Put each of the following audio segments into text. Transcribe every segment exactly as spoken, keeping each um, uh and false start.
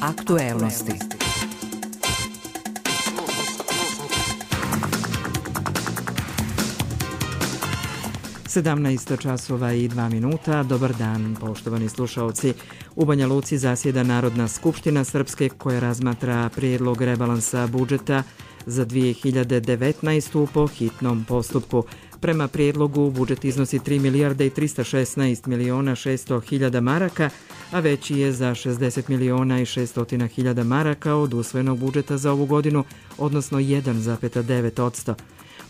Aktuelnosti. sedamnaest časova i dva minuta. Dobar dan, poštovani slušaoci. U Banja Luci zasjeda Narodna skupština Srpske koja razmatra prijedlog rebalansa budžeta za dvije hiljade devetnaestu. po hitnom postupku. Prema prijedlogu budžet iznosi tri milijarde i trista šesnaest miliona šesto hiljada maraka, a veći je za šezdeset miliona i šesto hiljada maraka od usvojenog budžeta za ovu godinu, odnosno jedan zarez devet posto.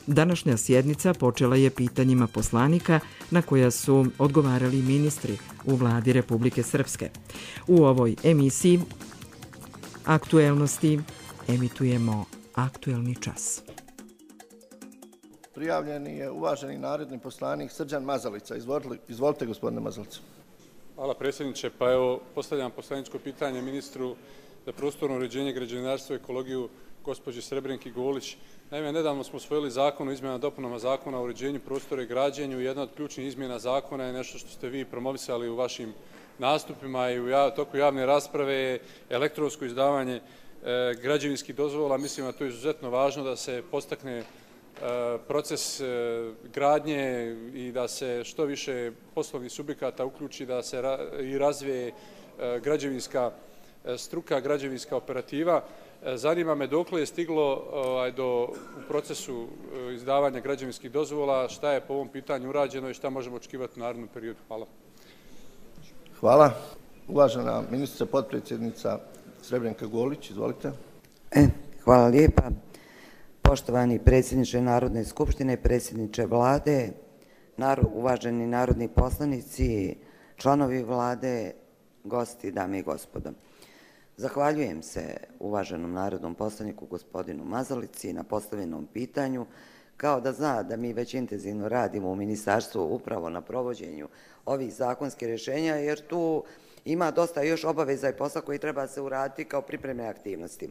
Današnja sjednica počela je pitanjima poslanika na koja su odgovarali ministri u vladi Republike Srpske. U ovoj emisiji Aktuelnosti emitujemo aktuelni čas. Prijavljeni je uvaženi narodni poslanik Srđan Mazalica. Izvolite, izvolite gospodine Mazalica. Hvala predsjedniče. Pa evo, postavljam poslaničko pitanje ministru za prostorno uređenje, građevinarstvo i ekologiju, gospođi Srebrenki Golić. Naime, nedavno smo usvojili zakon o izmjenama i dopunama zakona o uređenju prostora i građenju. Jedna od ključnih izmjena zakona je nešto što ste vi promovisali u vašim nastupima i u toku javne rasprave je elektronsko izdavanje e, građevinskih dozvola. Mislim da to je izuzetno važno da se postakne e, proces e, gradnje i da se što više poslovnih subjekata uključi, da se ra i razvije e, građevinska e, struka, građevinska operativa. Zanima me dokle je stiglo ovaj, do, u procesu izdavanja građevinskih dozvola, šta je po ovom pitanju urađeno i šta možemo očekivati u narednom periodu. Hvala. Hvala. Uvažena ministrica, potpredsjednica Srebrenka Golić, izvolite. E, hvala lijepa. Poštovani predsjedniče Narodne skupštine, predsjedniče vlade, nar uvaženi narodni poslanici, članovi vlade, gosti, dame i gospodo. Zahvaljujem se uvaženom narodnom poslaniku gospodinu Mazalici na postavljenom pitanju, kao da zna da mi već intenzivno radimo u ministarstvu upravo na provođenju ovih zakonskih rješenja, jer tu ima dosta još obaveza i posla koji treba se uraditi kao pripremne aktivnosti.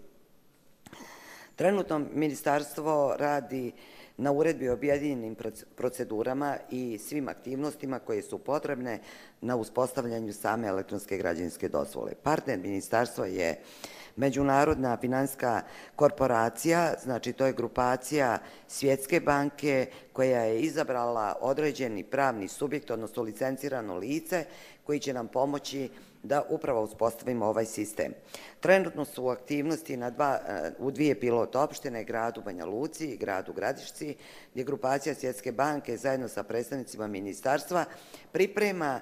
Trenutno ministarstvo radi na uredbi o objedinjenim procedurama i svim aktivnostima koje su potrebne na uspostavljanju same elektronske građevinske dozvole. Partner ministarstva je Međunarodna finansijska korporacija, znači to je grupacija Svjetske banke koja je izabrala određeni pravni subjekt, odnosno licencirano lice koji će nam pomoći da upravo uspostavimo ovaj sistem. Trenutno su u aktivnosti na dva, u dvije pilot opštine, gradu Banja Luci i gradu Gradišci, gdje grupacija Svjetske banke zajedno sa predstavnicima ministarstva priprema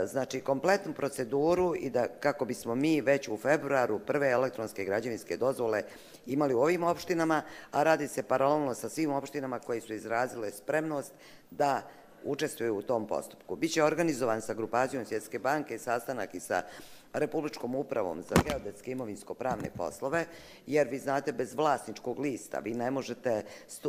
znači kompletnu proceduru i da kako bismo mi već u februaru prve elektronske građevinske dozvole imali u ovim opštinama, a radi se paralelno sa svim opštinama koje su izrazile spremnost da učestvuju u tom postupku. Biće organizovan sa grupacijom Svjetske banke sastanak i sa Republičkom upravom za geodetske imovinsko-pravne poslove, jer vi znate bez vlasničkog lista vi ne možete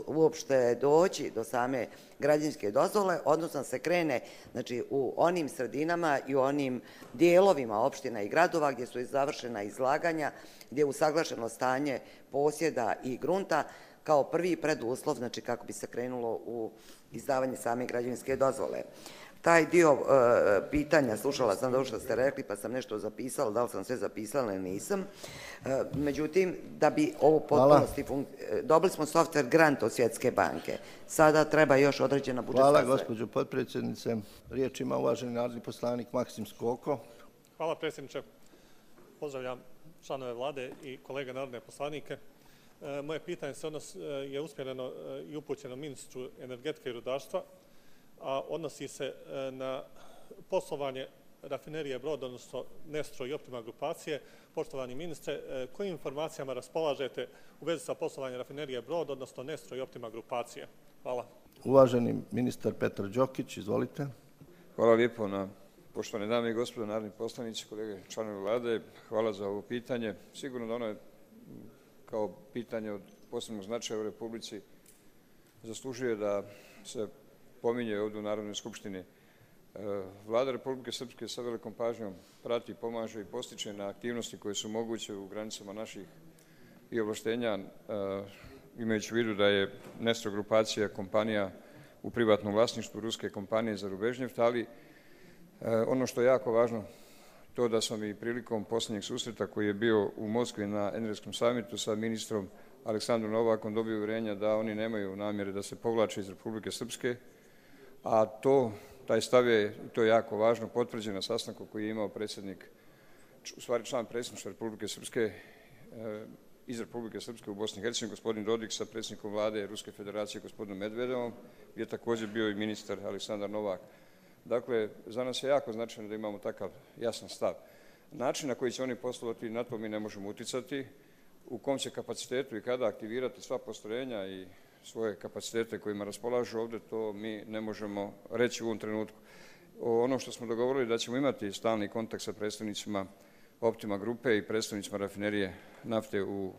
uopšte doći do same građevinske dozvole, odnosno se krene znači, u onim sredinama i u onim dijelovima opština i gradova gdje su završena izlaganja, gdje je usaglašeno stanje posjeda i grunta kao prvi preduslov, znači kako bi se krenulo u izdavanje same građevinske dozvole. Taj dio e, pitanja, slušala sam da što ste rekli, pa sam nešto zapisala, da li sam sve zapisala ili nisam. E, međutim, da bi ovo potpunosti funkcioniralo, dobili smo software grant od Svjetske banke. Sada treba još određena budžetska sredstva. Hvala, gospođo potpredsjednice. Riječ ima uvaženi narodni poslanik Maksim Skoko. Hvala, predsjedniče. Pozdravljam članove vlade i kolege narodne poslanike. E, moje pitanje se odnos, je usmjereno e, i upućeno ministru energetike i rudarstva, a odnosi se na poslovanje rafinerije Brod, odnosno Nestro i Optima grupacije. Poštovani ministre, kojim informacijama raspolažete u vezi sa poslovanjem rafinerije Brod, odnosno Nestro i Optima grupacije? Hvala. Uvaženi ministar Petar Đokić, izvolite. Hvala lijepo na poštovane dame i gospodo, narodni poslanici, kolege, članovi vlade. Hvala za ovo pitanje. Sigurno da ono je kao pitanje od posebnog značaja u Republici zaslužuje da se pominje ovdje u Narodnoj skupštini. Vlada Republike Srpske sa velikom pažnjom prati, pomaže i postiče na aktivnosti koje su moguće u granicama naših i ovlaštenja, imajući u vidu da je Nestro grupacija kompanija u privatnom vlasništvu ruske kompanije za Rubežnjeft, ali ono što je jako važno to da smo mi prilikom posljednjeg susreta koji je bio u Moskvi na energetskom samitu sa ministrom Aleksandrom Novakom dobio uvjerenja da oni nemaju namjere da se povlače iz Republike Srpske, a to, taj stav je, to je jako važno, potvrđen na sastanku koji je imao predsjednik, u stvari član predsjedništva Republike Srpske, iz Republike Srpske u Bosni i Hercegovini, gospodin Dodik sa predsjednikom vlade Ruske federacije, gospodinom Medvedevom, gdje je također bio i ministar Aleksandar Novak. Dakle, za nas je jako značajno da imamo takav jasan stav. Način na koji će oni poslovati, na to mi ne možemo uticati, u kom će kapacitetu i kada aktivirati sva postrojenja i svoje kapacitete kojima raspolažu ovdje, to mi ne možemo reći u ovom trenutku. Ono što smo dogovorili da ćemo imati stalni kontakt sa predstavnicima Optima grupe i predstavnicima rafinerije nafte u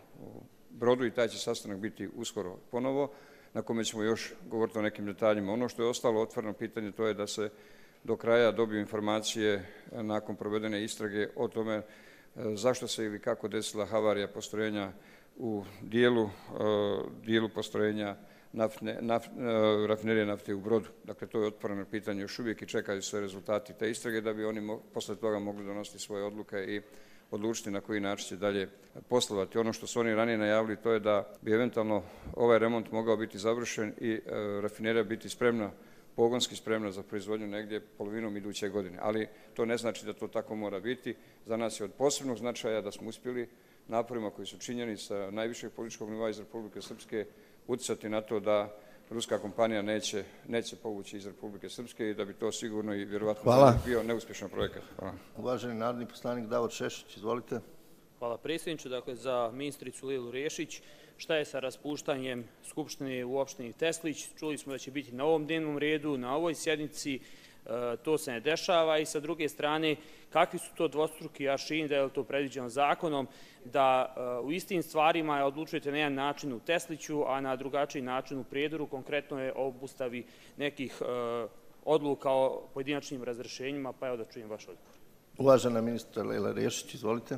Brodu i taj će sastanak biti uskoro ponovo, na kome ćemo još govoriti o nekim detaljima. Ono što je ostalo otvoreno pitanje to je da se do kraja dobiju informacije nakon provedene istrage o tome zašto se ili kako desila havarija postrojenja u dijelu, dijelu postrojenja naftne, naft, rafinerije nafte u Brodu. Dakle, to je otvoreno pitanje još uvijek i čekaju se rezultati te istrage da bi oni mo, posle toga mogli donositi svoje odluke i odlučiti na koji način će dalje poslovati. Ono što su oni ranije najavili to je da bi eventualno ovaj remont mogao biti završen i e, rafinerija biti spremna, pogonski spremna za proizvodnju negdje polovinom iduće godine. Ali to ne znači da to tako mora biti. Za nas je od posebnog značaja da smo uspjeli naporima koji su činjeni sa najvišeg političkog nivoa iz Republike Srpske utjecati na to da ruska kompanija neće, neće povući iz Republike Srpske i da bi to sigurno i vjerovatno Hvala. bio neuspješan projekat. Hvala. Uvaženi narodni poslanik Davor Šešić, izvolite. Hvala predsjedniče. Dakle, za ministricu Lilu Rešić, šta je sa raspuštanjem Skupštine u opštini Teslić? Čuli smo da će biti na ovom dnevnom redu, na ovoj sjednici, e, to se ne dešava i sa druge strane, kakvi su to dvostruki aršini, da je to predviđeno zakonom, da uh, u istim stvarima odlučujete na jedan način u Tesliću, a na drugačiji način u Prijedoru, konkretno je o obustavi nekih uh, odluka o pojedinačnim razrešenjima, pa evo da čujem vaš odgovor. Uvažena ministra Lila Rešić, izvolite.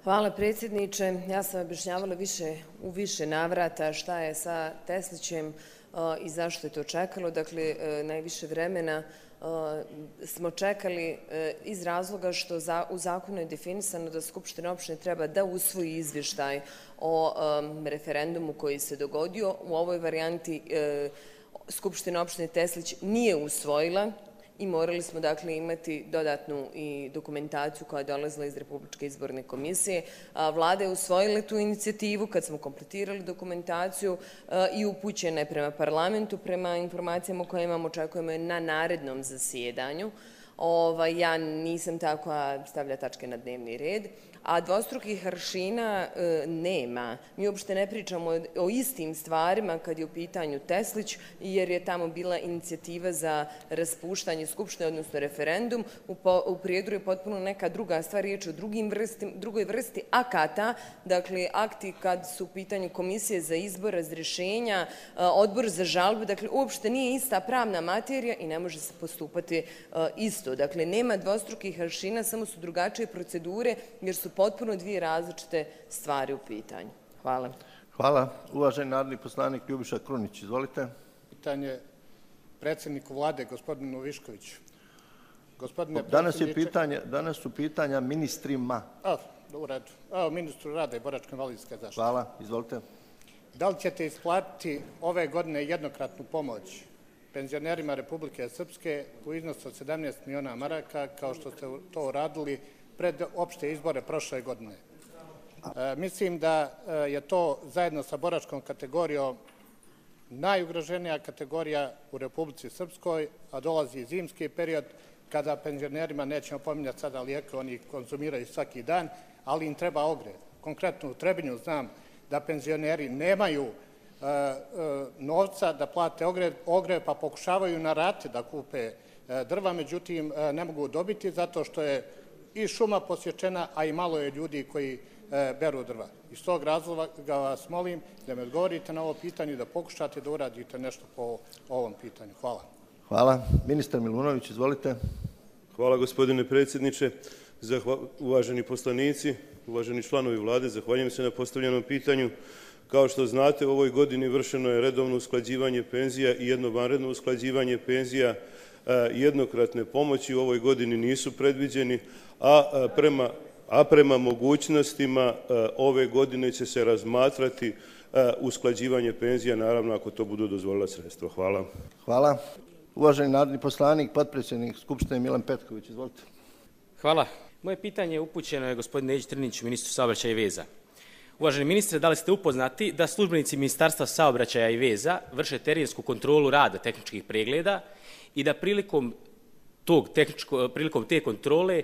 Hvala predsjedniče. Ja sam objašnjavala više, u više navrata šta je sa Teslićem uh, i zašto je to čekalo. Dakle, uh, najviše vremena Uh, smo čekali uh, iz razloga što za, u zakonu je definisano da Skupština opštine treba da usvoji izvještaj o um, referendumu koji se dogodio. U ovoj varijanti uh, Skupština opštine Teslić nije usvojila i morali smo dakle imati dodatnu i dokumentaciju koja je dolazila iz Republičke izborne komisije. Vlada je usvojila tu inicijativu kad smo kompletirali dokumentaciju i upućena je prema parlamentu, prema informacijama koje imamo, očekujemo je na narednom zasjedanju. Ovaj, ja nisam tako stavlja tačke na dnevni red, a dvostrukih aršina e, nema. Mi uopšte ne pričamo o, o istim stvarima kad je u pitanju Teslić, jer je tamo bila inicijativa za raspuštanje Skupštine, odnosno referendum. U, po, u Prijedoru je potpuno neka druga stvar, riječ o drugim vrsti, drugoj vrsti akata, dakle akti kad su u pitanju komisije za izbor, razrješenja, odbor za žalbu, dakle uopšte nije ista pravna materija i ne može se postupati e, isto. Dakle, nema dvostrukih aršina, samo su drugačije procedure, jer su potpuno dvije različite stvari u pitanju. Hvala. Hvala. Uvaženi narodni poslanik Ljubiša Krunić, izvolite. Pitanje predsjedniku vlade, gospodinu Viškoviću. Gospodine danas, je pitanje, danas su pitanja ministrima. A, u redu. Evo, ministru rada i boračko-invalidske zaštite. Hvala, izvolite. Da li ćete isplatiti ove godine jednokratnu pomoć penzionerima Republike Srpske u iznosu od sedamnaest miliona maraka, kao što ste to uradili pred opšte izbore prošle godine? E, mislim da je to zajedno sa boračkom kategorijom najugroženija kategorija u Republici Srpskoj, a dolazi zimski period kada penzionerima, nećemo pominjati sada lijeke, oni konzumiraju svaki dan, ali im treba ogrev. Konkretno u Trebinju znam da penzioneri nemaju e, e, novca da plate ogrev, ogrev, pa pokušavaju na rate da kupe e, drva, međutim e, ne mogu dobiti zato što je i šuma posječena, a i malo je ljudi koji e, beru drva. Iz tog razloga vas molim da me odgovorite na ovo pitanje i da pokušate da uradite nešto po ovom pitanju. Hvala. Hvala. Ministar Milunović, izvolite. Hvala, gospodine predsjedniče. Zahva... Uvaženi poslanici, uvaženi članovi vlade, zahvaljujem se na postavljenom pitanju. Kao što znate, u ovoj godini vršeno je redovno usklađivanje penzija i jedno vanredno usklađivanje penzija, jednokratne pomoći u ovoj godini nisu predviđeni, a prema, a prema mogućnostima ove godine će se razmatrati usklađivanje penzija, naravno ako to budu dozvolila sredstva. Hvala. Hvala. Uvaženi narodni poslanik, potpredsjednik Skupštine Milan Petković, izvolite. Hvala. Moje pitanje je upućeno je gospodinu Neđi Trniću, ministru saobraćaja i veza. Uvaženi ministre, da li ste upoznati da službenici Ministarstva saobraćaja i veza vrše terensku kontrolu rada tehničkih pregleda i da prilikom, tog tehničko, prilikom te kontrole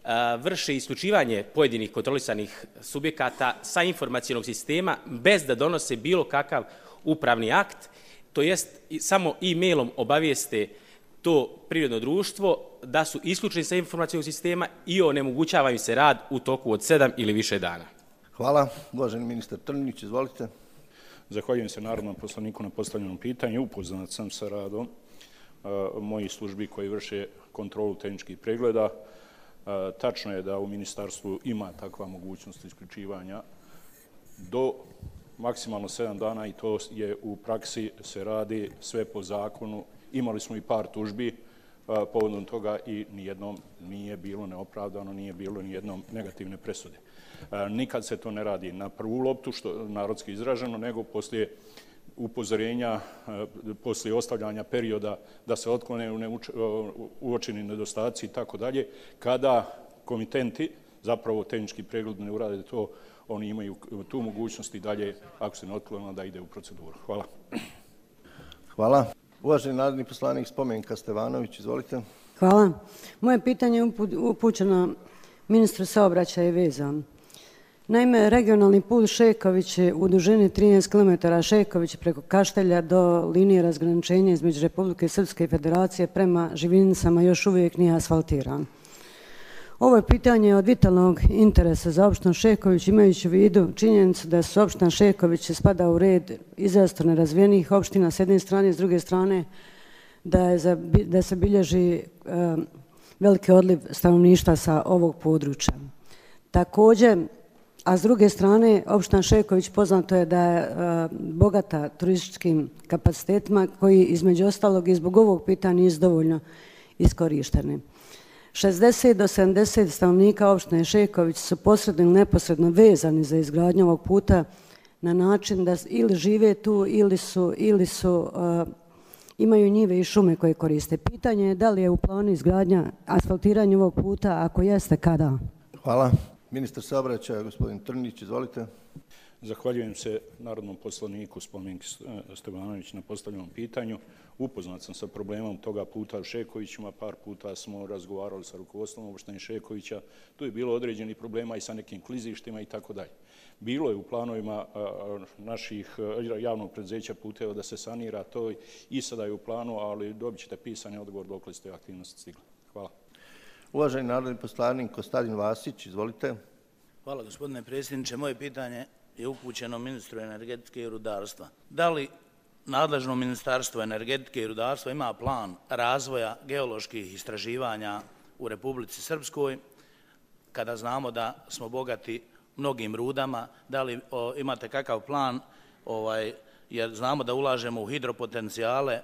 a, vrše isključivanje pojedinih kontrolisanih subjekata sa informacionog sistema bez da donose bilo kakav upravni akt, to jest samo e-mailom obavijeste to privredno društvo da su isključeni sa informacionog sistema i onemogućava im se rad u toku od sedam ili više dana. Hvala. Uvaženi ministar Trninić, izvolite. Zahvaljujem se narodnom poslaniku na postavljenom pitanju. Upoznat sam sa radom uh, mojih službi koji vrše kontrolu tehničkih pregleda. Uh, tačno je da u ministarstvu ima takva mogućnost isključivanja do maksimalno sedam dana i to je u praksi se radi sve po zakonu. Imali smo i par tužbi uh, povodom toga i nijednom nije bilo neopravdano, nije bilo nijednom negativne presude. Nikad se to ne radi na prvu loptu, što narodski izraženo, nego poslije upozorenja, poslije ostavljanja perioda da se otklone uočeni nedostaci i tako dalje. Kada komitenti, zapravo tehnički pregled ne urade to, oni imaju tu mogućnost i dalje, ako se ne otklone, da ide u proceduru. Hvala. Hvala. Uvaženi narodni poslanik Spomenka Stevanović, izvolite. Hvala. Moje pitanje je upućeno ministru saobraćaja i veza. Naime, regionalni put Šeković je u dužini trinaest kilometara Šeković preko Kaštelja do linije razgraničenja između Republike Srpske i Federacije prema Živinicama još uvijek nije asfaltiran. Ovo je pitanje od vitalnog interesa za opštinu Šeković, imajući u vidu činjenicu da su opština Šeković spada u red izrazito nerazvijenih opština s jedne strane, s druge strane da, je za, da se bilježi um, veliki odliv stanovništva sa ovog područja. Također, a s druge strane, opština Šeković poznato je da je uh, bogata turističkim kapacitetima koji između ostalog i zbog ovog pitanja nisu dovoljno iskorišteni. šezdeset do sedamdeset stanovnika opštine Šeković su posredno ili neposredno vezani za izgradnju ovog puta na način da ili žive tu ili su, ili su uh, imaju njive i šume koje koriste. Pitanje je da li je u planu izgradnja asfaltiranja ovog puta, ako jeste, kada? Hvala. Ministar saobraćaja, gospodin Trnić, izvolite. Zahvaljujem se narodnom poslaniku Spomenki Stevanović na postavljenom pitanju. Upoznat sam sa problemom toga puta u Šekovićima, par puta smo razgovarali sa rukovodstvom opštine Šekovića. Tu je bilo određenih problema i sa nekim klizištima i tako dalje. Bilo je u planovima naših javnog preduzeća puteva da se sanira to i sada je u planu, ali dobit ćete pisani odgovor dokle ste aktivnosti stigli. Hvala. Uvaženi narodni poslanik Kostadin Vasić, izvolite. Hvala gospodine predsjedniče. Moje pitanje je upućeno ministru energetike i rudarstva. Da li nadležno ministarstvo energetike i rudarstva ima plan razvoja geoloških istraživanja u Republici Srpskoj, kada znamo da smo bogati mnogim rudama, da li o, imate kakav plan, ovaj, jer znamo da ulažemo u hidropotencijale e,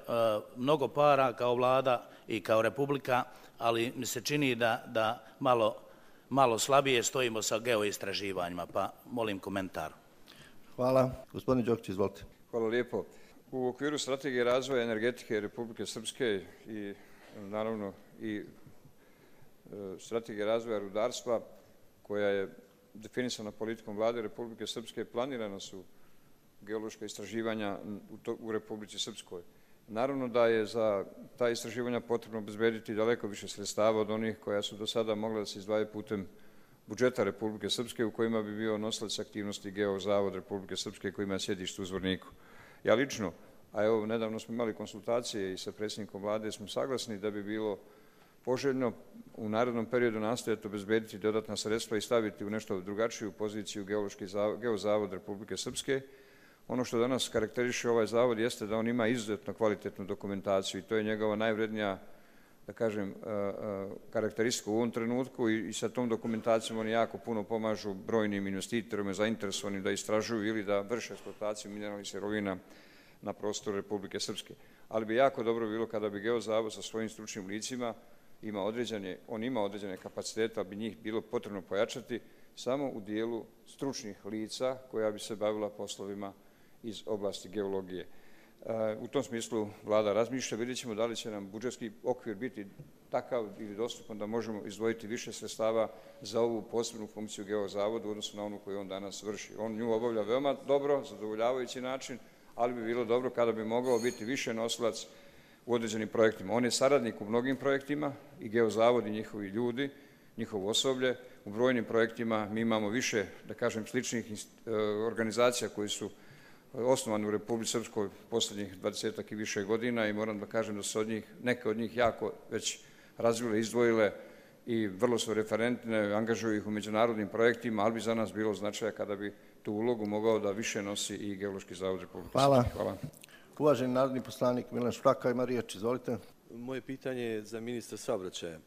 mnogo para kao vlada i kao republika, ali mi se čini da, da malo, malo slabije stojimo sa geoistraživanjima, pa molim komentar. Hvala. Gospodin Đokić, izvolite. Hvala lijepo. U okviru strategije razvoja energetike Republike Srpske i naravno i strategije razvoja rudarstva koja je definisana politikom vlade Republike Srpske, planirana su geološka istraživanja u, to, u Republici Srpskoj. Naravno da je za ta istraživanja potrebno obezbediti daleko više sredstava od onih koja su do sada mogla da se izdvajaju putem budžeta Republike Srpske, u kojima bi bio nosilac aktivnosti Geozavod Republike Srpske koji ima sjedište u Zvorniku. Ja lično, a evo nedavno smo imali konsultacije i sa predsjednikom vlade, smo saglasni da bi bilo poželjno u narednom periodu nastojati obezbediti dodatna sredstva i staviti u nešto drugačiju poziciju Geološki zavod, Geozavod Republike Srpske. Ono što danas karakteriše ovaj zavod jeste da on ima izuzetno kvalitetnu dokumentaciju i to je njegova najvrednija, da kažem, karakteristika u ovom trenutku i sa tom dokumentacijom oni jako puno pomažu brojnim investitorima zainteresovanim da istražuju ili da vrše eksploataciju mineralnih sirovina na prostoru Republike Srpske. ali bi jako dobro bilo kada bi Geozavod sa svojim stručnim licima ima određene, on ima određene kapacitete, ali bi njih bilo potrebno pojačati samo u dijelu stručnih lica koja bi se bavila poslovima iz oblasti geologije. U tom smislu vlada razmišlja, vidjet ćemo da li će nam budžetski okvir biti takav ili dostupan da možemo izdvojiti više sredstava za ovu posebnu funkciju Geozavodu u odnosu na onu koju on danas vrši. On nju obavlja veoma dobro, zadovoljavajući način, ali bi bilo dobro kada bi mogao biti više nosilac u određenim projektima. On je saradnik u mnogim projektima i Geozavod i njihovi ljudi, njihovo osoblje. U brojnim projektima mi imamo više, da kažem, sličnih organizacija koji su osnovani u Republici Srpskoj posljednjih dvadesetak i više godina i moram da kažem da su od njih, neke od njih jako već razvile, izdvojile i vrlo su referentne, angažuju ih u međunarodnim projektima, ali bi za nas bilo značaja kada bi tu ulogu mogao da više nosi i Geološki zavod Republike Srpske. Hvala. Hvala. Uvaženi narodni poslanik Milan Švraka ima riječ, izvolite. Moje pitanje je za ministra saobraćaja.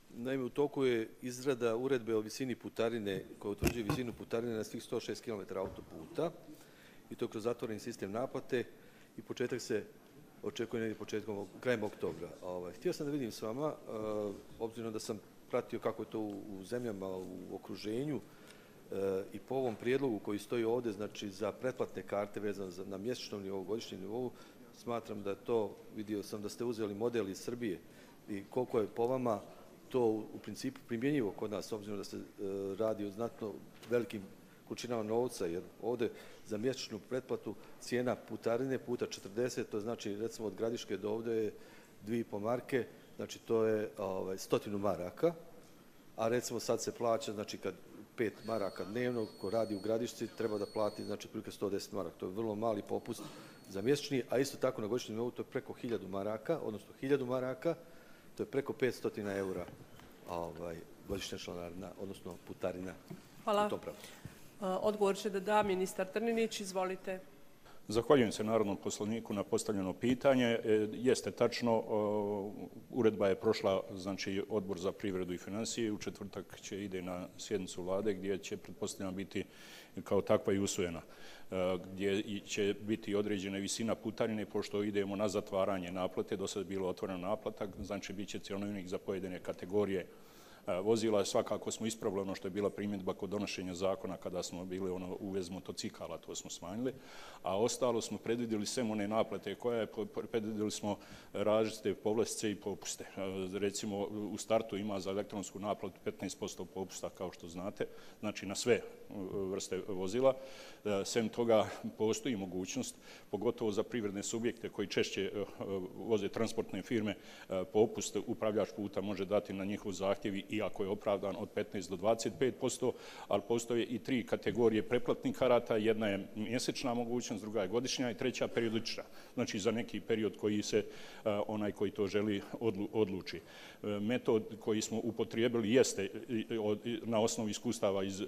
Naime, u toku je izrada uredbe o visini putarine koja utvrđuje visinu putarine na svih sto šest kilometara autoputa i to kroz zatvoreni sistem naplate i početak se očekuje negdje početkom, krajem oktobra. Htio sam da vidim s vama, obzirom da sam pratio kako je to u zemljama u okruženju i po ovom prijedlogu koji stoji ovdje, znači za pretplatne karte vezano na mjesečnom nivou, godišnjem nivou, smatram da je to, vidio sam da ste uzeli model iz Srbije i koliko je po vama to u principu primjenjivo kod nas, obzirom da se radi o znatno velikim količinama novca, jer ovdje za mjesečnu pretplatu cijena putarine puta četrdeset, to znači recimo od Gradiške do ovdje je dvije i po marke, znači to je ovaj, stotinu maraka, a recimo sad se plaća, znači kad pet maraka dnevno, ko radi u Gradišci, treba da plati, znači prilike sto deset maraka, to je vrlo mali popust za mjesečni, a isto tako na godišnjem nivou to je preko hiljadu maraka, odnosno hiljadu maraka, to je preko petsto eura ovaj, godišnja članarina, odnosno putarina. Hvala. Odgovor će da da ministar Trninić, izvolite. Zahvaljujem se narodnom poslaniku na postavljeno pitanje. Jeste tačno, uredba je prošla, znači Odbor za privredu i financije, u četvrtak će ide na sjednicu vlade gdje će pretpostavljeno biti kao takva i usvojena, gdje će biti određena visina putarine, pošto idemo na zatvaranje naplate, do sada je bilo otvorena naplata, znači bit će cjenovnik za pojedine kategorije vozila. Svakako smo ispravili ono što je bila primjedba kod donošenja zakona kada smo bili ono uvez motocikala, to smo smanjili, a ostalo smo predvidjeli sve one naplate koje je, predvidjeli smo različite povlastice i popuste. Recimo u startu ima za elektronsku naplatu petnaest posto popusta, kao što znate, znači na sve vrste vozila. Sem toga postoji mogućnost, pogotovo za privredne subjekte koji češće voze transportne firme, popust upravljač puta može dati na njihov zahtjev i ako je opravdan od petnaest do dvadeset pet posto, ali postoje i tri kategorije preplatnih karata, jedna je mjesečna mogućnost, druga je godišnja i treća periodična, znači za neki period koji se onaj koji to želi odluči. Metod koji smo upotrijebili jeste na osnovu iskustava iz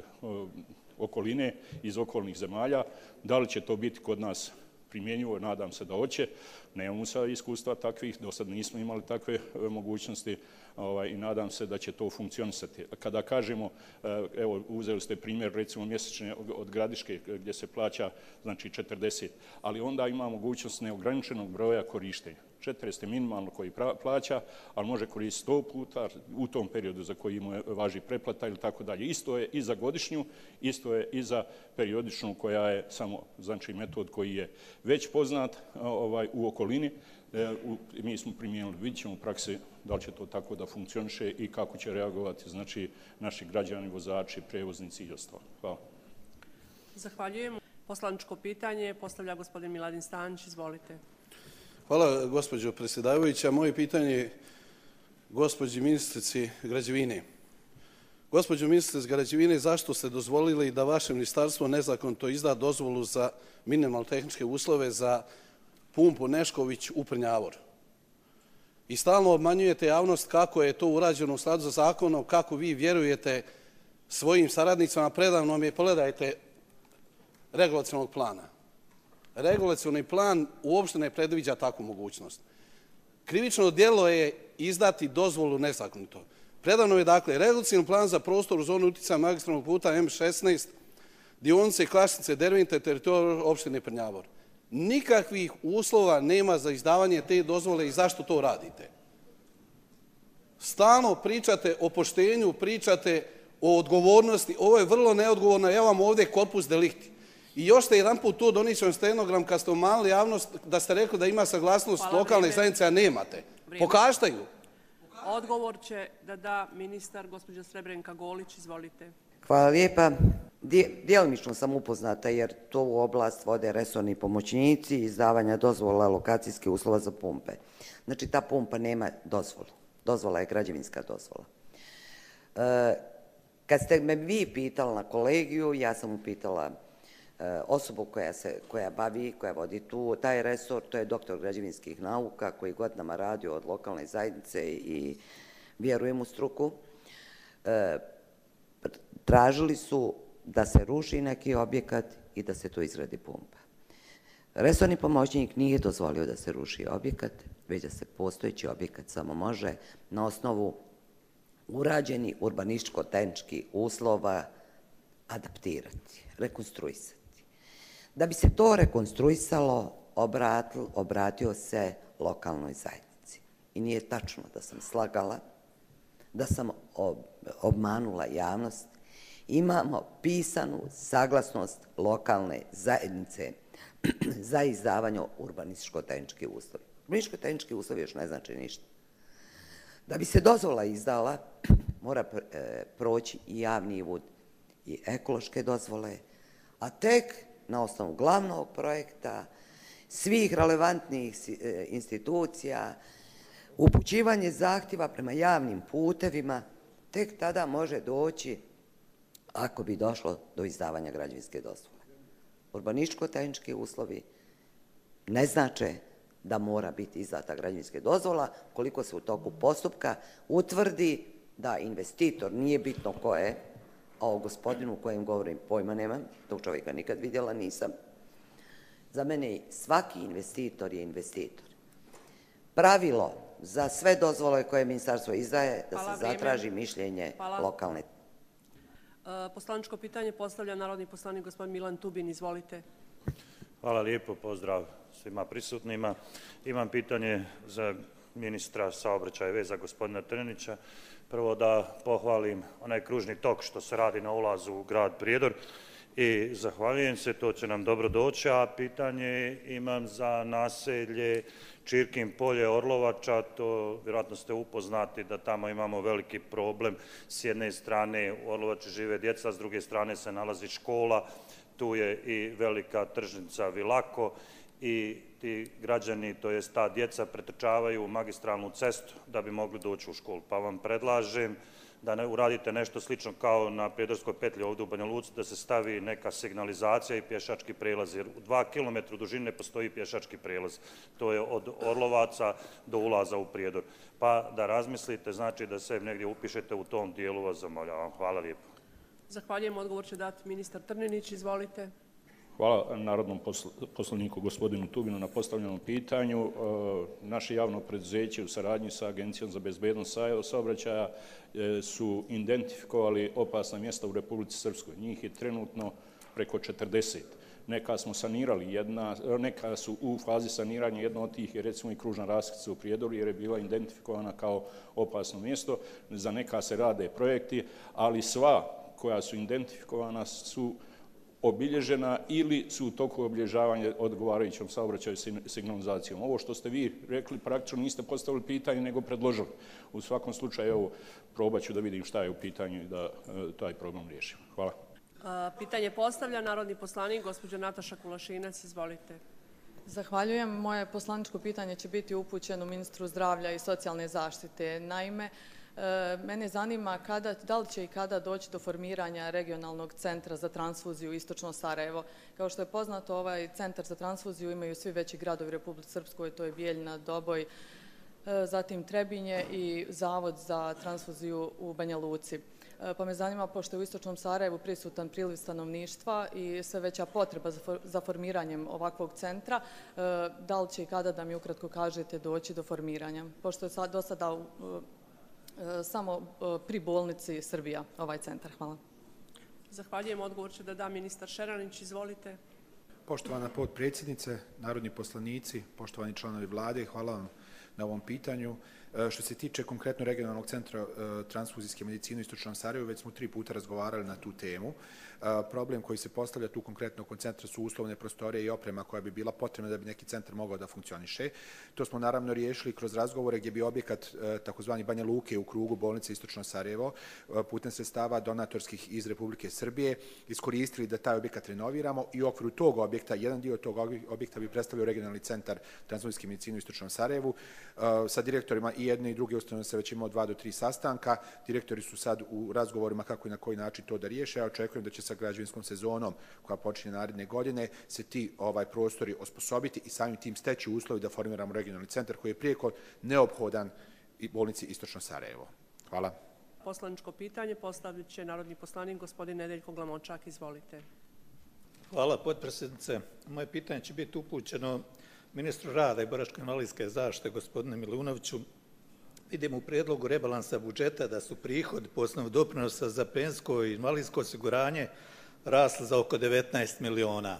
okoline, iz okolnih zemalja. Da li će to biti kod nas primjenjivo? Nadam se da hoće. Nemamo sad iskustva takvih, do sad nismo imali takve mogućnosti ovaj, i nadam se da će to funkcionisati. Kada kažemo, evo, uzeli ste primjer recimo mjesečne od Gradiške gdje se plaća znači četrdeset, ali onda ima mogućnost neograničenog broja korištenja. četrdeset je minimalno koji plaća, ali može koristiti sto puta u tom periodu za koji mu važi preplata ili tako dalje. Isto je i za godišnju, isto je i za periodičnu koja je samo, znači, metod koji je već poznat ovaj, u okolini. E, u, mi smo primijenili, vidjet ćemo u praksi da li će to tako da funkcioniše i kako će reagovati, znači, naši građani, vozači, prevoznici i ostalo. Hvala. Zahvaljujem. Poslaničko pitanje postavlja gospodin Miladin Stanić. Izvolite. Hvala, gospođo predsjedavajuća. Moje pitanje je gospođi ministrici građevine. Gospođo ministrice građevine, zašto ste dozvolili da vaše ministarstvo nezakonito izda dozvolu za minimalno tehničke uslove za pumpu Nešković u Prnjavor? I stalno obmanjujete javnost kako je to urađeno u skladu sa zakonom, kako vi vjerujete svojim saradnicama. Predavno mi je, pogledajte, regulacionog plana. Regulacioni plan uopšte ne predviđa takvu mogućnost. Krivično djelo je izdati dozvolu nezakonito. Predano je, dakle, regulacioni plan za prostor u zonu utjecaja magistralnog puta M šesnaest, dionice Klašnice, Dervente, teritoriju opštine Prnjavor. Nikakvih uslova nema za izdavanje te dozvole i zašto to radite? Stalno pričate o poštenju, pričate o odgovornosti. Ovo je vrlo neodgovorno. Ja vam ovdje korpus delikti. I još ste jedan put tu donisao stenogram kad ste umanili javnost da ste rekli da ima saglasnost lokalne zajednice, a nemate. Pokažite ju. Odgovor će da da ministar, gospođa Srebrenka Golić. Izvolite. Hvala lijepa. Djelomično sam upoznata jer to u oblast vode resorni pomoćnici izdavanja dozvola lokacijskih uslova za pumpe. Znači ta pumpa nema dozvolu. Dozvola je građevinska dozvola. E, kad ste me vi pitali na kolegiju, ja sam upitala e, osobu koja se koja bavi, koja vodi tu taj resor, to je doktor građevinskih nauka koji godinama radi od lokalne zajednice i vjerujem u struku. E, tražili su da se ruši neki objekat i da se to izgradi pumpa. Resorni pomoćnik nije dozvolio da se ruši objekat, već da se postojeći objekat samo može na osnovu urađeni urbanističko-tehničkih uslova adaptirati, rekonstruisati. Da bi se to rekonstruisalo, obratio, obratio se lokalnoj zajednici. I nije tačno da sam slagala, da sam ob, obmanula javnost. Imamo pisanu saglasnost lokalne zajednice za izdavanje urbanističko-tehničkih uslova. Urbanističko-tehnički uslovi još ne znači ništa. Da bi se dozvola izdala, mora proći i javni uvod i ekološke dozvole, a tek na osnovu glavnog projekta, svih relevantnih institucija, upućivanje zahtjeva prema javnim putevima, tek tada može doći ako bi došlo do izdavanja građevinske dozvole. Urbanističko-tehnički uslovi ne znače da mora biti izdata građevinska dozvola koliko se u toku postupka utvrdi da investitor, nije bitno ko je, a o gospodinu u kojem govorim pojma nemam, tog čovjeka nikad vidjela nisam. Za mene svaki investitor je investitor. Pravilo za sve dozvole koje ministarstvo izdaje da se zatraži mišljenje lokalne. Poslaničko pitanje postavlja narodni poslanik gospodin Milan Tubin. Izvolite. Hvala lijepo, pozdrav svima prisutnima. Imam pitanje za ministra saobraćaja i veza gospodina Trninića. Prvo da pohvalim onaj kružni tok što se radi na ulazu u grad Prijedor i zahvaljujem se, to će nam dobro doći, a pitanje imam za naselje Čirkin polje Orlovača, to vjerojatno ste upoznati da tamo imamo veliki problem. S jedne strane u Orlovači žive djeca, s druge strane se nalazi škola, tu je i velika tržnica Vilako i ti građani, to jest ta djeca, pretrčavaju u magistralnu cestu da bi mogli doći u školu. Pa vam predlažem da ne uradite nešto slično kao na Prijedorskoj petlji ovdje u Banja Luci, da se stavi neka signalizacija i pješački prelaz, jer u dva kilometra dužine postoji pješački prelaz. To je od Orlovaca do ulaza u Prijedor. Pa da razmislite, znači da se negdje upišete u tom dijelu, vas zamoljavam. Hvala lijepo. Zahvaljujem, odgovor će dati ministar Trninić. Izvolite. Hvala narodnom poslaniku gospodinu Tubinu na postavljenom pitanju. Naše javno preduzeće u saradnji sa Agencijom za bezbednost saobraćaja su identifikovali opasna mjesta u Republici Srpskoj. Njih je trenutno preko četrdeset. Neka smo sanirali, jedna, neka su u fazi saniranja, jedna od tih je recimo i kružna raskrsnica u Prijedoru jer je bila identifikovana kao opasno mjesto. Za neka se rade projekti, ali sva koja su identifikovana su obilježena ili su u toku obilježavanja odgovarajućom saobraćaju signalizacijom. Ovo što ste vi rekli, praktično niste postavili pitanje, nego predložili. U svakom slučaju, evo, probat ću da vidim šta je u pitanju i da e, taj problem riješimo. Hvala. Pitanje postavlja narodni poslanik, gospođa Nataša Kulašinac. Izvolite. Zahvaljujem. Moje poslaničko pitanje će biti upućeno ministru zdravlja i socijalne zaštite. Naime, mene zanima kada, da li će i kada doći do formiranja regionalnog centra za transfuziju Istočno Sarajevo. Kao što je poznato, ovaj centar za transfuziju imaju svi veći gradovi u Republici Srpskoj, to je Bijeljina, Doboj, zatim Trebinje i Zavod za transfuziju u Banja Luci. Pa me zanima, pošto je u Istočnom Sarajevu prisutan priliv stanovništva i sve veća potreba za formiranjem ovakvog centra, da li će i kada, da mi ukratko kažete, doći do formiranja? Pošto je do sada samo pri bolnici Srbija ovaj centar. Hvala. Zahvaljujem. Odgovor će da da ministar Šeranić. Izvolite. Poštovana potpredsjednice, narodni poslanici, poštovani članovi vlade, hvala vam na ovom pitanju. Što se tiče konkretno regionalnog centra transfuzijske medicine u Istočnom Sarajevu, već smo tri puta razgovarali na tu temu. Problem koji se postavlja tu konkretno kod centra su uslovne prostorije i oprema koja bi bila potrebna da bi neki centar mogao da funkcioniše. To smo naravno riješili kroz razgovore gdje bi objekat takozvani Banja Luke u krugu bolnice Istočno Sarajevo putem sredstava donatorskih iz Republike Srbije iskoristili da taj objekat renoviramo i u okviru tog objekta, jedan dio tog objekta bi predstavljao regionalni centar transfuzijske medicine u Istočnom Sarajevu. Sa direktorima i jedne i druge ustanove se već imao dva do tri sastanka. Direktori su sad u razgovorima kako i na koji način to da riješe. Ja očekujem da će sa građevinskom sezonom koja počinje naredne godine se ti ovaj prostori osposobiti i samim tim steći uslovi da formiramo regionalni centar koji je prijeko neophodan i bolnici Istočno Sarajevo. Hvala. Poslaničko pitanje postavit će narodni poslanik gospodin Nedeljko Glamočak. Izvolite. Hvala, potpredsjednice. Moje pitanje će biti upućeno ministru rada i boračko-invalidske zaštite gospodinu Milunoviću. Vidimo u prijedlogu rebalansa budžeta da su prihodi po osnovu doprinosa za penzijsko i invalidsko osiguranje rasli za oko devetnaest miliona.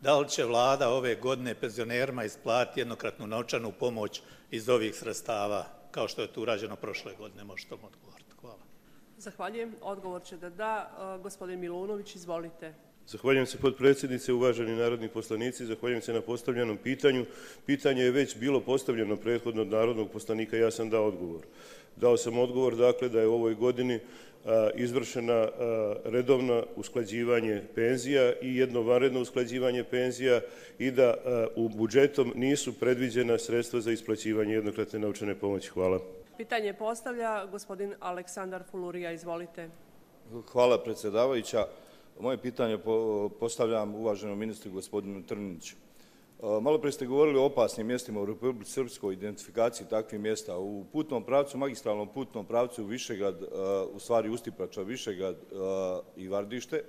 Da li će vlada ove godine penzionerima isplatiti jednokratnu novčanu pomoć iz ovih sredstava, kao što je to urađeno prošle godine? Možete li odgovoriti? Hvala. Zahvaljujem. Odgovor će da da gospodin Milunović. Izvolite. Zahvaljujem se potpredsjednice, uvaženi narodni poslanici, zahvaljujem se na postavljenom pitanju. Pitanje je već bilo postavljeno prethodno od narodnog poslanika, ja sam dao odgovor. Dao sam odgovor dakle da je u ovoj godini a, izvršena a, redovno usklađivanje penzija i jedno vanredno usklađivanje penzija i da a, u budžetom nisu predviđena sredstva za isplaćivanje jednokratne novčane pomoći. Hvala. Pitanje postavlja gospodin Aleksandar Fulurija. Izvolite. Hvala predsjedavajuća. Moje pitanje postavljam uvaženom ministru gospodinu Trniniću. Malo prije ste govorili o opasnim mjestima u Republici Srpskoj, identifikaciji takvih mjesta. U putnom pravcu, magistralnom putnom pravcu Višegrad, u stvari Ustipača, Višegrad i Vardište,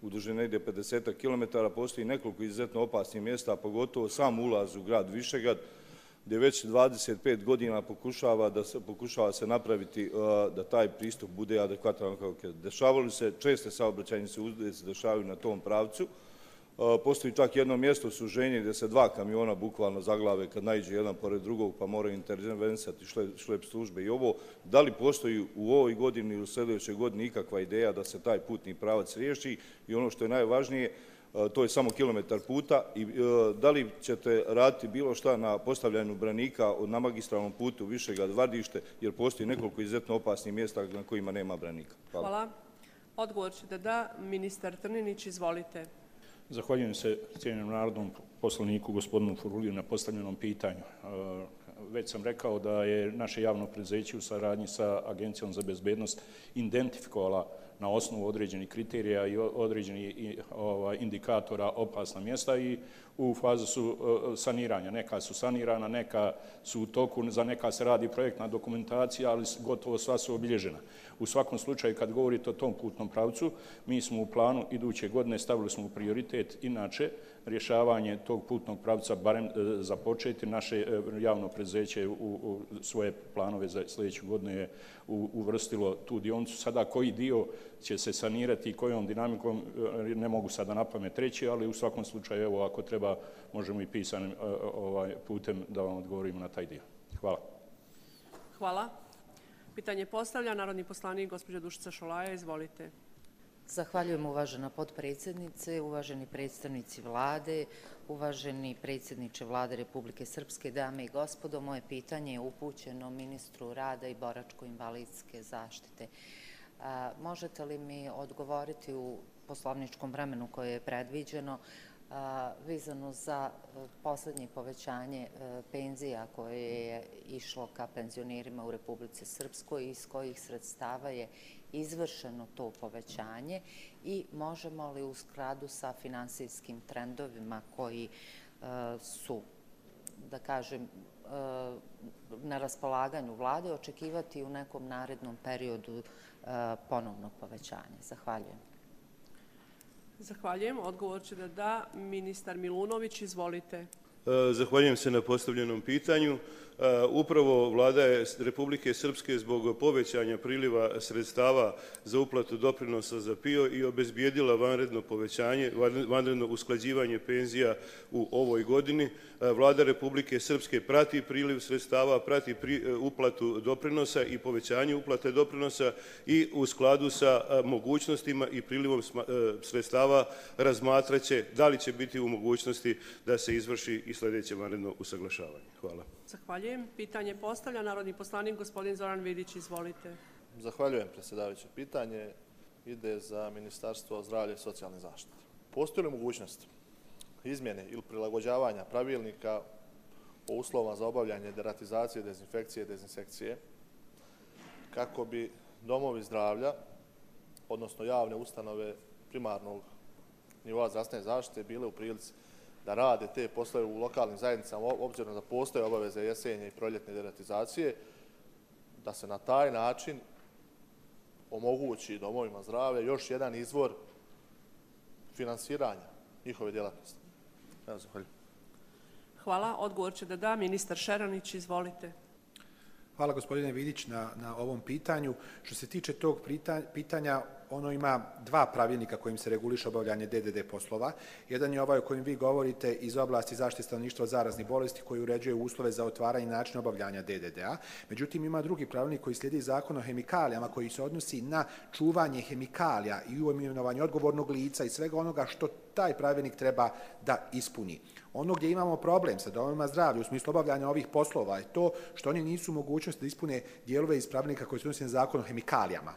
u dužini negdje pedeset kilometara, postoji nekoliko izuzetno opasnih mjesta, pogotovo sam ulaz u grad Višegrad, gdje već dvadeset pet godina pokušava da se, pokušava se napraviti da taj pristup bude adekvatan. Dešavali se, česte saobraćajnice se dešavaju na tom pravcu. Postoji čak jedno mjesto suženje gdje se dva kamiona bukvalno zaglave kad naiđe jedan pored drugog pa moraju intervenisati šlep službe i ovo. Da li postoji u ovoj godini ili u sljedećoj godini ikakva ideja da se taj putni pravac riješi i ono što je najvažnije, to je samo kilometar puta i da li ćete raditi bilo šta na postavljanju branika na magistralnom putu Višegrad-Vardište jer postoji nekoliko izuzetno opasnih mjesta na kojima nema branika. Hvala. Hvala. Odgovor će da da ministar Trninić. Izvolite. Zahvaljujem se cijenjenom narodnom poslaniku gospodinu Furuliju na postavljenom pitanju. Već sam rekao da je naše javno preduzeće u saradnji sa Agencijom za bezbednost identifikovala na osnovu određenih kriterija i određenih indikatora opasna mjesta i u fazu su saniranja. Neka su sanirana, neka su u toku, za neka se radi projektna dokumentacija, ali gotovo sva su obilježena. U svakom slučaju, kad govorite o tom putnom pravcu, mi smo u planu iduće godine stavili smo u prioritet inače rješavanje tog putnog pravca, barem započeti. Naše javno preduzeće u svoje planove za sljedeću godinu je uvrstilo tu dionicu. Sada koji dio će se sanirati i kojom dinamikom ne mogu sada na pamet reći, ali u svakom slučaju, evo, ako treba, možemo i pisanim putem da vam odgovorimo na taj dio. Hvala. Hvala. Pitanje postavlja narodni poslanik gospođa Dušica Šolaja. Izvolite. Zahvaljujem uvažena potpredsjednice, uvaženi predstavnici vlade, uvaženi predsjedniče vlade Republike Srpske, dame i gospodo. Moje pitanje je upućeno ministru rada i boračko-invalidske zaštite. Možete li mi odgovoriti u poslovničkom vremenu koje je predviđeno vezano za posljednje povećanje penzija koje je išlo ka penzionerima u Republici Srpskoj i iz kojih sredstava je izvršeno to povećanje i možemo li u skladu sa finansijskim trendovima koji su, da kažem, na raspolaganju vlade očekivati u nekom narednom periodu ponovno povećanje? Zahvaljujem. Zahvaljujem. Odgovor će da da ministar Milunović. Izvolite. Zahvaljujem se na postavljenom pitanju. Upravo Vlada Republike Srpske zbog povećanja priliva sredstava za uplatu doprinosa za P I O i obezbijedila vanredno povećanje, vanredno usklađivanje penzija u ovoj godini. Vlada Republike Srpske prati priliv sredstava, prati uplatu doprinosa i povećanje uplate doprinosa i u skladu sa mogućnostima i prilivom sredstava razmatraće da li će biti u mogućnosti da se izvrši i sljedeće vanredno usaglašavanje. Hvala. Zahvaljujem. Pitanje postavlja narodni poslanik gospodin Zoran Vidić. Izvolite. Zahvaljujem, predsjedavajuće. Pitanje ide za Ministarstvo zdravlja i socijalne zaštite. Postoji li mogućnost izmjene ili prilagođavanja pravilnika o uslovima za obavljanje deratizacije, dezinfekcije i dezinsekcije kako bi domovi zdravlja, odnosno javne ustanove primarnog nivoa zdravstvene zaštite bile u prilici da rade te poslove u lokalnim zajednicama, obzirom da postoje obaveze jesenje i proljetne deratizacije, da se na taj način omogući domovima zdravlja još jedan izvor finansiranja njihove djelatnosti. Evo, zahvaljujem. Hvala. Odgovor će da da ministar Šeranić. Izvolite. Hvala gospodine Vidić na, na ovom pitanju. Što se tiče tog pitanja, ono ima dva pravilnika kojim se reguliše obavljanje D D D poslova. Jedan je ovaj o kojem vi govorite iz oblasti zaštite stanovništva od zaraznih bolesti koji uređuje uslove za otvaranje i način obavljanja D D D-a. Međutim, ima drugi pravilnik koji slijedi Zakon o hemikalijama koji se odnosi na čuvanje hemikalija i imenovanje odgovornog lica i svega onoga što taj pravilnik treba da ispuni. Ono gdje imamo problem sa domovima zdravlja u smislu obavljanja ovih poslova je to što oni nisu u mogućnosti da ispune dijelove iz pravilnika koji se odnosi na Zakon o hemikalijama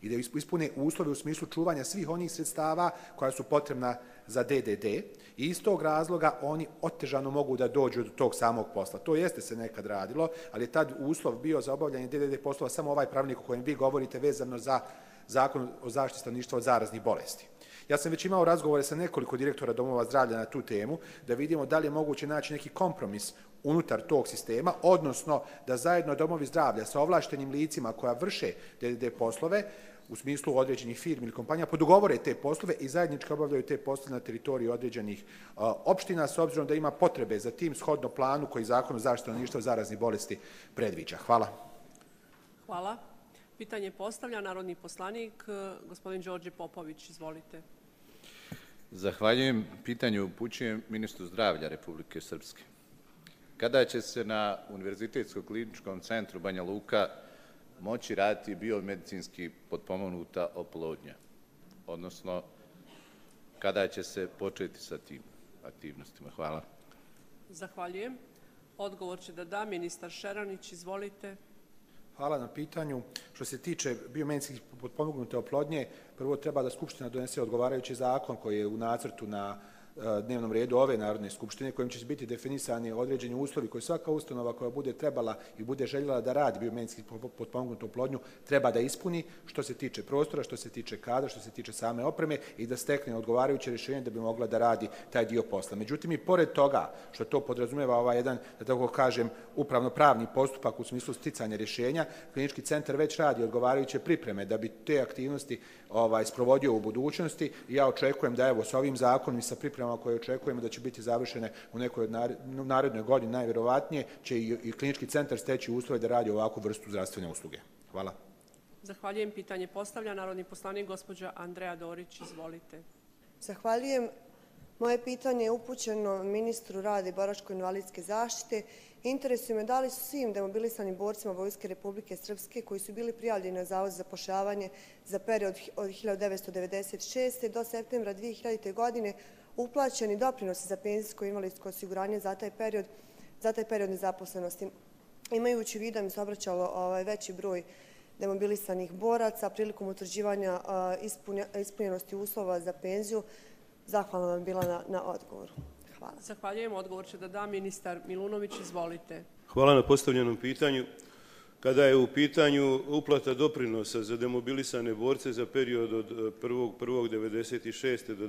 i da ispune uslove u smislu čuvanja svih onih sredstava koja su potrebna za D D D i iz tog razloga oni otežano mogu da dođu do tog samog posla. To jeste se nekad radilo, ali je tad uslov bio za obavljanje D D D poslova samo ovaj pravilnik o kojem vi govorite vezano za Zakon o zaštiti stanovništva od zaraznih bolesti. Ja sam već imao razgovore sa nekoliko direktora domova zdravlja na tu temu, da vidimo da li je moguće naći neki kompromis unutar tog sistema, odnosno da zajedno domovi zdravlja sa ovlaštenim licima koja vrše D D D poslove, u smislu određenih firmi ili kompanija, podogovore te poslove i zajednički obavljaju te poslove na teritoriji određenih a, opština, s obzirom da ima potrebe za tim shodno planu koji Zakon o zaštiti stanovništva od zaraznih bolesti predviđa. Hvala. Hvala. Pitanje postavlja narodni poslanik, gospodin Đorđe Popović. Izvolite. Zahvaljujem. Pitanje upućujem ministru zdravlja Republike Srpske. Kada će se na Univerzitetskom kliničkom centru Banja Luka moći raditi biomedicinski potpomognuta oplodnja? Odnosno, kada će se početi sa tim aktivnostima? Hvala. Zahvaljujem. Odgovor će da da ministar Šeranić. Izvolite. Hvala na pitanju. Što se tiče biomedicinski potpomognute oplodnje, prvo treba da Skupština donese odgovarajući zakon koji je u nacrtu na dnevnom redu ove Narodne skupštine, kojim će biti definisani određeni uslovi koje svaka ustanova koja bude trebala i bude željela da radi biomedicinski potpomognutu oplodnju treba da ispuni što se tiče prostora, što se tiče kadra, što se tiče same opreme i da stekne odgovarajuće rješenje da bi mogla da radi taj dio posla. Međutim, i pored toga što to podrazumijeva ovaj jedan, da tako kažem, upravno-pravni postupak u smislu sticanja rješenja, klinički centar već radi odgovarajuće pripreme da bi te aktivnosti ovaj, sprovodio u budućnosti i ja očekujem da evo s ovim zakonom i sa pripremama koje očekujemo da će biti završene u nekoj od narednoj godini, najvjerovatnije će i, i klinički centar steći uslove da radi ovakvu vrstu zdravstvene usluge. Hvala. Zahvaljujem. Pitanje postavlja narodni poslanik gospođa Andreja Dorić. Izvolite. Zahvaljujem. Moje pitanje je upućeno ministru rada i boračko-invalidske zaštite. Interesuje me da li su svim demobilisanim borcima Vojske Republike Srpske koji su bili prijavljeni na Zavod za zapošljavanje za period od hiljadu devetsto devedeset šeste. do septembra dvije hiljadite. godine uplaćeni doprinosi za penzijsko i invalidsko osiguranje za taj period, za taj period nezaposlenosti. Imajući u vidu da mi se obraćalo ovaj, veći broj demobilisanih boraca prilikom utvrđivanja ispunjenosti uslova za penziju, zahvalna vam bila na, na odgovoru. Hvala. Zahvaljujem. Odgovor će da da ministar Milunović. Izvolite. Hvala na postavljenom pitanju. kada je u pitanju uplata doprinosa za demobilisane borce za period od prvog prvog devedeset šeste do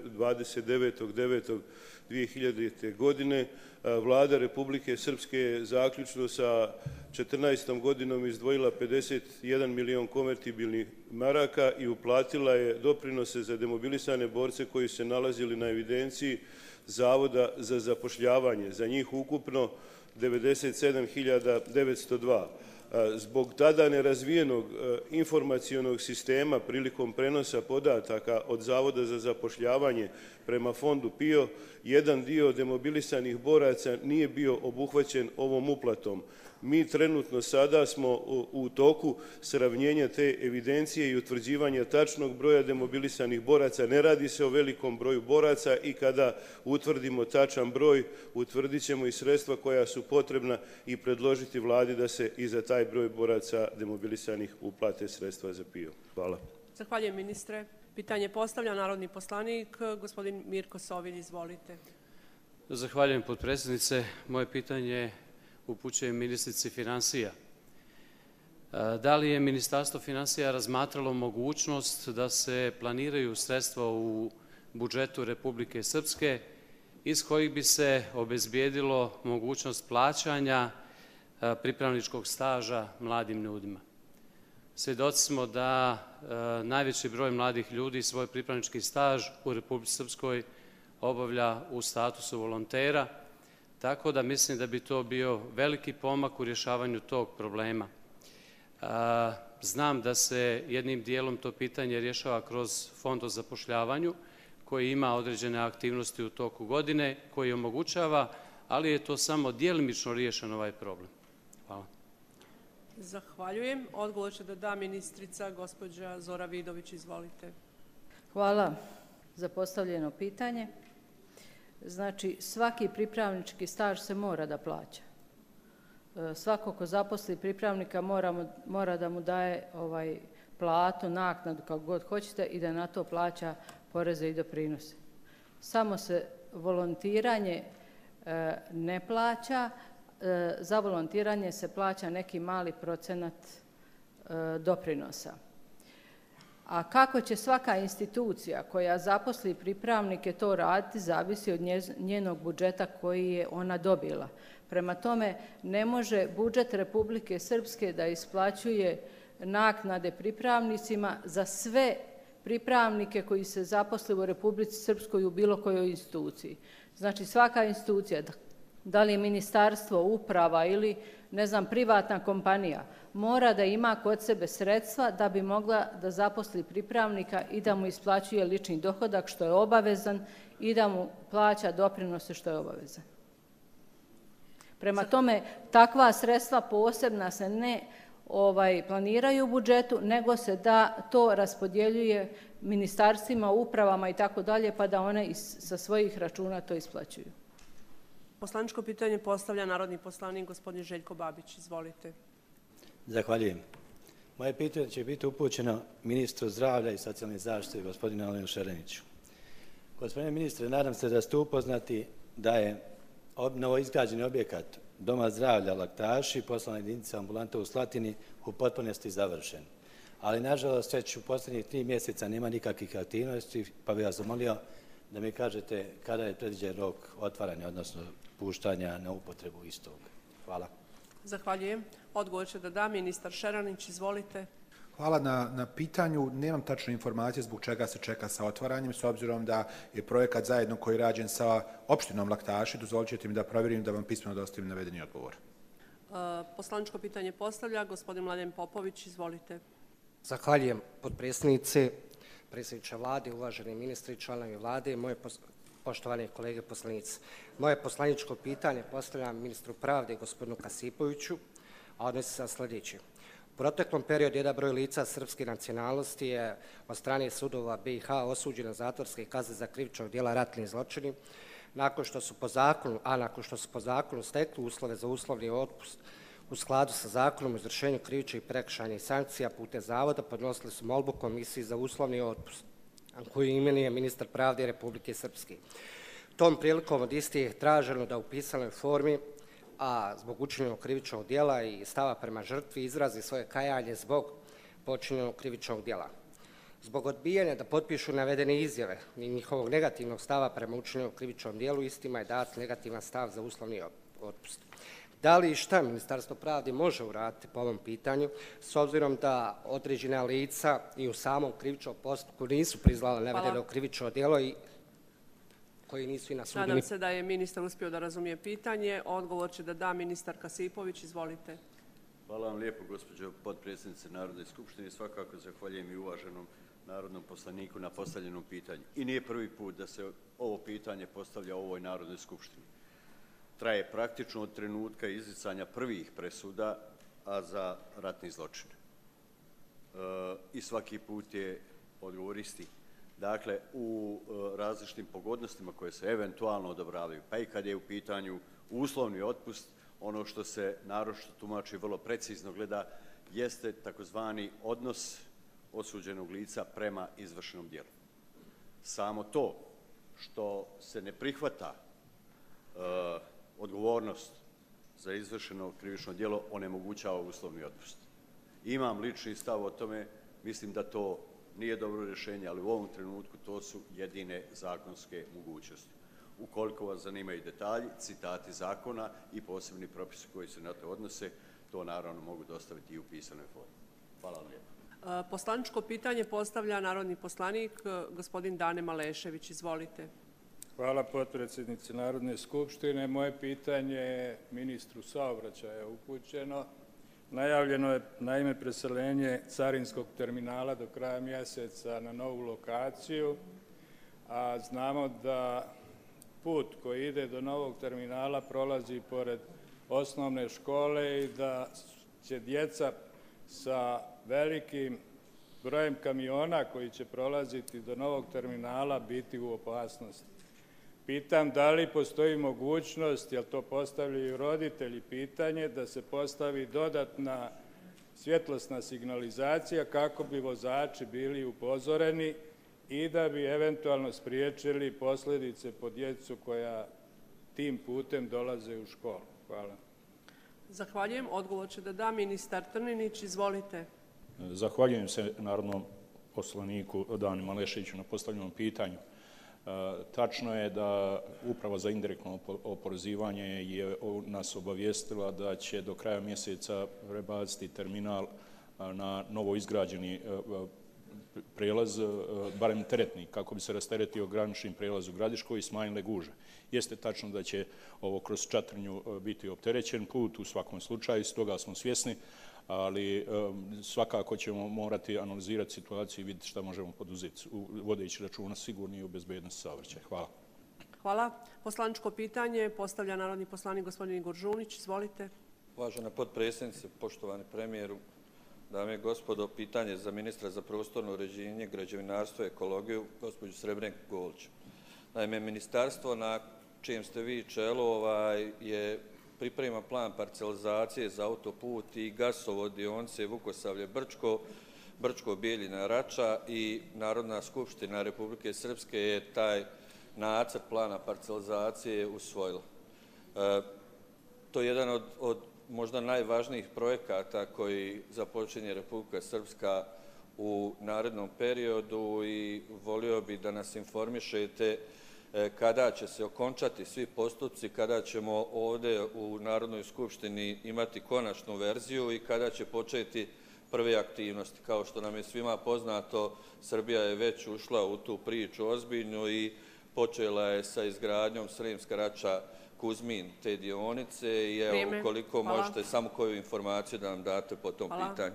dvadeset devetog devetog dvije hiljadite. godine, Vlada Republike Srpske je zaključno sa četrnaestom godinom izdvojila pedeset jedan milion konvertibilnih maraka i uplatila je doprinose za demobilisane borce koji se nalazili na evidenciji Zavoda za zapošljavanje. Za njih ukupno devedeset sedam hiljada devetsto dva. Zbog tada nerazvijenog informacionog sistema prilikom prenosa podataka od Zavoda za zapošljavanje prema fondu P I O, jedan dio demobilisanih boraca nije bio obuhvaćen ovom uplatom. Mi trenutno sada smo u toku sravnjenja te evidencije i utvrđivanja tačnog broja demobilisanih boraca. Ne radi se o velikom broju boraca i kada utvrdimo tačan broj, utvrdit ćemo i sredstva koja su potrebna i predložiti Vladi da se i za taj broj boraca demobilisanih uplate sredstva za P I O. Hvala. Zahvaljujem, ministre. Pitanje postavlja narodni poslanik, gospodin Mirko Sovilj, izvolite. Zahvaljujem, potpredsjednice. Moje pitanje upućujem ministrici financija. Da li je Ministarstvo financija razmatralo mogućnost da se planiraju sredstva u budžetu Republike Srpske iz kojih bi se obezbijedilo mogućnost plaćanja pripravničkog staža mladim ljudima? Svjedoci smo da najveći broj mladih ljudi svoj pripravnički staž u Republici Srpskoj obavlja u statusu volontera, tako da mislim da bi to bio veliki pomak u rješavanju tog problema. Znam da se jednim dijelom to pitanje rješava kroz Fond o zapošljavanju, koji ima određene aktivnosti u toku godine, koji omogućava, ali je to samo djelimično riješen ovaj problem. Hvala. Zahvaljujem. Odgovor će da da ministrica, gospođa Zora Vidović. Izvolite. Hvala za postavljeno pitanje. Znači, svaki pripravnički staž se mora da plaća. Svako ko zaposli pripravnika mora, mora da mu daje ovaj platu, naknadu, kako god hoćete, i da na to plaća poreze i doprinose. Samo se volontiranje e, ne plaća, e, za volontiranje se plaća neki mali procenat e, doprinosa. A kako će svaka institucija koja zaposli pripravnike to raditi, zavisi od njenog budžeta koji je ona dobila. Prema tome, ne može budžet Republike Srpske da isplaćuje naknade pripravnicima za sve pripravnike koji se zaposle u Republici Srpskoj u bilo kojoj instituciji. Znači, svaka institucija, da li je ministarstvo, uprava ili, ne znam, privatna kompanija, mora da ima kod sebe sredstva da bi mogla da zaposli pripravnika i da mu isplaćuje lični dohodak, što je obavezan, i da mu plaća doprinose, što je obavezan. Prema tome, takva sredstva posebna se ne ovaj, planiraju u budžetu, nego se da to raspodjeljuje ministarstvima, upravama i tako dalje, pa da one iz, sa svojih računa to isplaćuju. Poslaničko pitanje postavlja narodni poslanik gospodin Željko Babić. Izvolite. Zahvaljujem. Moje pitanje će biti upućeno ministru zdravlja i socijalne zaštite, gospodinu Alenu Šereniću. Gospodine ministre, nadam se da ste upoznati da je novoizgrađeni objekat Doma zdravlja Laktaši, poslovna jedinica ambulanta u Slatini, u potpunosti završen. Ali, nažalost, već u posljednjih tri mjeseca nema nikakvih aktivnosti, pa bih vas zamolio da mi kažete kada je predviđen rok otvaranja, odnosno puštanja na upotrebu istog. Hvala. Zahvaljujem. Odgovor će da da ministar Šeranić. Izvolite. Hvala na, na pitanju. Nemam tačne informacije zbog čega se čeka sa otvaranjem, s obzirom da je projekat zajedno koji je rađen sa opštinom Laktaši. Dozvolit ćete mi da provjerim da vam pismeno dostavim navedeni odgovor. Uh, poslaničko pitanje postavlja gospodin Mladen Popović. Izvolite. Zahvaljujem, potpredsjednice, predsjedniče vlade, uvaženi ministri, članovi vlade i moje pos poštovane kolege poslanici. Moje poslaničko pitanje postavljam ministru pravde, gospodinu Kasipoviću, a odnosi se na sljedeće. U proteklom periodu jedan broj lica srpske nacionalnosti je od strane sudova B i H osuđeno na zatvorske kazne za krivičnog djela ratni zločini, nakon što su po zakonu, a nakon što su po zakonu stekli uslove za uslovni otpust u skladu sa zakonom o izvršenju krivičnih i prekršajnih sankcija putem zavoda, podnosili su molbu Komisiji za uslovni otpust, koju imenuje ministar pravde Republike Srpske. Tom prilikom od istih je traženo da u pisanoj formi a zbog učinjenog krivičnog djela i stava prema žrtvi izrazi svoje kajanje zbog počinjenog krivičnog djela. Zbog odbijanja da potpišu navedene izjave i njihovog negativnog stava prema učinjenom krivičnom djelu, istima je dat negativan stav za uslovni otpust. Da li i šta Ministarstvo pravde može uraditi po ovom pitanju, s obzirom da određena lica i u samom krivičnom postupku nisu priznala navedeno krivično djelo i koji nisu i na sudu? Nadam se da je ministar uspio da razumije pitanje. Odgovor će da da ministar Kasipović. Izvolite. Hvala vam lijepo, gospođo potpredsjednice Narodne skupštine. Svakako zahvaljujem i uvaženom narodnom poslaniku na postavljenom pitanju. I nije prvi put da se ovo pitanje postavlja u ovoj Narodnoj skupštini. Traje praktično od trenutka izricanja prvih presuda, a za ratni zločin. E, I svaki put je odgovor isti. Dakle, u e, različitim pogodnostima koje se eventualno odobravaju, pa i kad je u pitanju uslovni otpust, ono što se naročito tumači vrlo precizno gleda jeste takozvani odnos osuđenog lica prema izvršenom djelu. Samo to što se ne prihvata e, odgovornost za izvršeno krivično djelo onemogućava uslovni otpust. Imam lični stav o tome, mislim da to nije dobro rješenje, ali u ovom trenutku to su jedine zakonske mogućnosti. Ukoliko vas zanimaju detalji, citati zakona i posebni propisi koji se na to odnose, to naravno mogu dostaviti i u pisanoj formi. Hvala vam lijepo. Poslaničko pitanje postavlja narodni poslanik gospodin Dane Malešević. Izvolite. Hvala potpredsjednici Narodne skupštine. Moje pitanje je ministru saobraćaja upućeno. Najavljeno je naime preseljenje carinskog terminala do kraja mjeseca na novu lokaciju, a znamo da put koji ide do novog terminala prolazi pored osnovne škole i da će djeca sa velikim brojem kamiona koji će prolaziti do novog terminala biti u opasnosti. Pitam da li postoji mogućnost, jer to postavljaju roditelji pitanje, da se postavi dodatna svjetlosna signalizacija kako bi vozači bili upozoreni i da bi eventualno spriječili posljedice po djecu koja tim putem dolaze u školu. Hvala. Zahvaljujem. Odgovor će da da ministar Trninić. Izvolite. Zahvaljujem se narodnom poslaniku Dani Maleševiću na postavljenom pitanju. Tačno je da Uprava za indirektno oporezivanje je nas obavijestila da će do kraja mjeseca prebaciti terminal na novo izgrađeni prijelaz, barem teretni, kako bi se rasteretio granični prijelaz u Gradiškoj i smanjile gužve. Jeste tačno da će ovo kroz Čatrnju biti opterećen put u svakom slučaju, s toga smo svjesni, ali svakako ćemo morati analizirati situaciju i vidjeti šta možemo poduzeti, vodeći računa sigurni i u bezbednosti saobraćaja. Hvala. Hvala. Poslaničko pitanje postavlja narodni poslanik gospodin Igor Žunić. Izvolite. Uvažena potpredsjednice, poštovani premijeru, dame i gospodo, pitanje za ministra za prostorno uređenje, građevinarstvo i ekologiju, gospođu Srebrenku Golić. Naime, ministarstvo na čijem ste vi čelu ovaj, je priprema plan parcelizacije za autoput i gasovod dionice Vukosavlje-Brčko, Brčko-Bijeljina-Rača i Narodna skupština Republike Srpske je taj nacrt plana parcelizacije usvojila. E, to je jedan od, od možda najvažnijih projekata koji započinje Republika Srpska u narednom periodu i volio bi da nas informišete kada će se okončati svi postupci, kada ćemo ovdje u Narodnoj skupštini imati konačnu verziju i kada će početi prve aktivnosti. Kao što nam je svima poznato, Srbija je već ušla u tu priču ozbiljnu i počela je sa izgradnjom Sremska Rača Kuzmin te dionice i evo, ukoliko možete samo koju informaciju da nam date po tom Hvala. pitanju.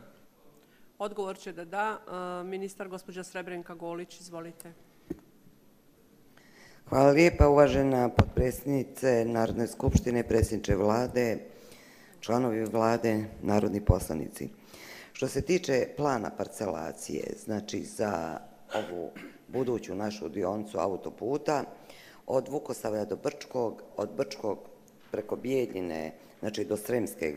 Odgovor će da da ministar gospođa Srebrenka Golić. Izvolite. Hvala lijepa, uvažena potpredsjednice Narodne skupštine, predsjedniče vlade, članovi vlade, narodni poslanici. Što se tiče plana parcelacije, znači za ovu buduću našu dionicu autoputa, od Vukosavlja do Brčkog, od Brčkog preko Bijeljine, znači do Sremske e,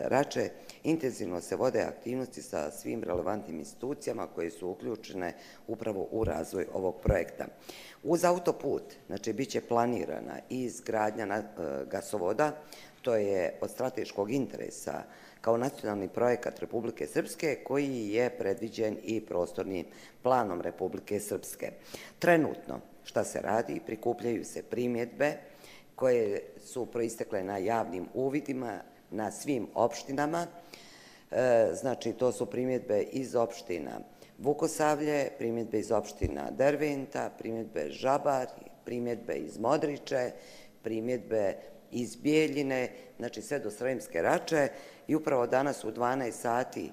Rače, intenzivno se vode aktivnosti sa svim relevantnim institucijama koje su uključene upravo u razvoj ovog projekta. Uz autoput, znači, bit će planirana i izgradnja na, e, gasovoda, to je od strateškog interesa kao nacionalni projekat Republike Srpske koji je predviđen i prostornim planom Republike Srpske. Trenutno, šta se radi, prikupljaju se primjedbe koje su proistekle na javnim uvidima na svim opštinama. E, znači, to su primjedbe iz opština Vukosavlje, primjedbe iz opština Derventa, primjedbe Žabar, primjedbe iz Modriče, primjedbe iz Bijeljine, znači sve do Sremske Rače, i upravo danas u dvanaest sati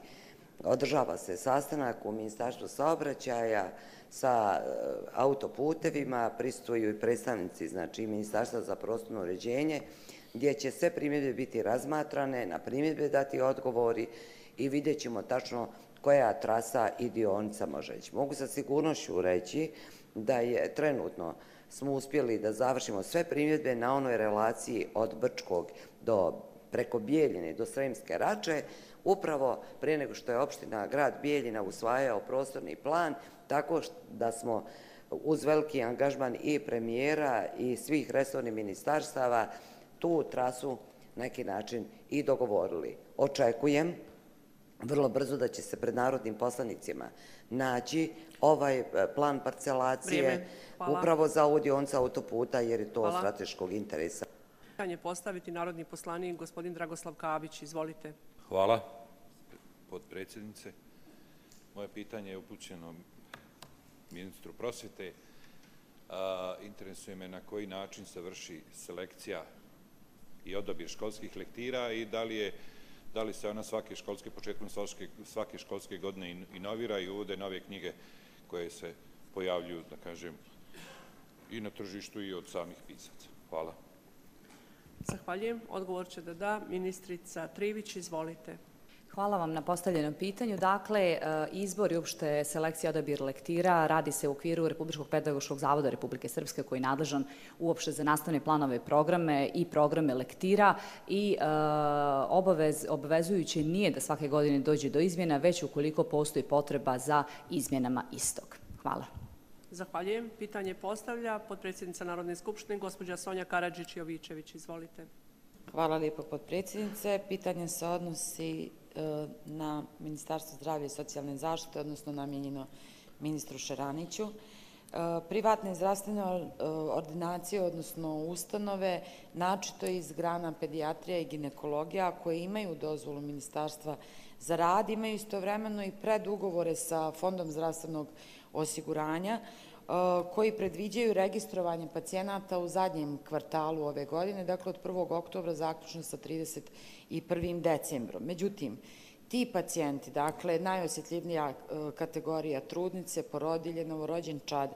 održava se sastanak u Ministarstvu saobraćaja sa autoputevima, prisustvuju i predstavnici, znači, Ministarstva za prostorno uređenje, gdje će sve primjedbe biti razmatrane, na primjedbe dati odgovori i vidjet ćemo tačno koja trasa i dionica može ići. Mogu sa sigurnošću reći da je trenutno smo uspjeli da završimo sve primjedbe na onoj relaciji od Brčkog do preko Bijeljine do Sremske Rače, upravo prije nego što je opština grad Bijeljina usvajao prostorni plan, tako da smo uz veliki angažman i premijera i svih resornih ministarstava tu trasu na neki način i dogovorili. Očekujem vrlo brzo da će se pred narodnim poslanicima naći ovaj plan parcelacije upravo za ovu dionicu autoputa, jer je to od strateškog interesa. Pitanje postaviti narodni poslanik gospodin Dragoslav Kabić. Izvolite. Hvala, potpredsjednice. Moje pitanje je upućeno ministru prosvjete. Interesuje me na koji način se vrši selekcija i odabir školskih lektira i da li je da li se ona svake školske, početkom svake školske godine inovira i uvode nove knjige koje se pojavljuju, da kažem, i na tržištu i od samih pisaca. Hvala. Zahvaljujem. Odgovor će da da ministrica Trivić. Izvolite. Hvala vam na postavljenom pitanju. Dakle, izbor i uopšte selekcija odabir lektira radi se u okviru Republičkog pedagoškog zavoda Republike Srpske koji je nadležan uopšte za nastavne planove programe i programe lektira i obavez, obavezujuće nije da svake godine dođe do izmjena, već ukoliko postoji potreba za izmjenama istog. Hvala. Zahvaljujem. Pitanje postavlja potpredsjednica Narodne skupštine, gospođa Sonja Karadžić-Jovičević. Izvolite. Hvala lijepo, potpredsjednice. Pitanje se odnosi na Ministarstvo zdravlja i socijalne zaštite, odnosno namijenjeno ministru Šeraniću. Privatne zdravstvene ordinacije, odnosno ustanove, načito iz grana pedijatrija i ginekologija, koje imaju dozvolu Ministarstva za rad, imaju istovremeno i predugovore sa Fondom zdravstvenog osiguranja, koji predviđaju registrovanje pacijenata u zadnjem kvartalu ove godine, dakle od prvog oktobra zaključno sa trideset prvim decembrom. Međutim, ti pacijenti, dakle najosjetljivija kategorija trudnice, porodilje, novorođenčad,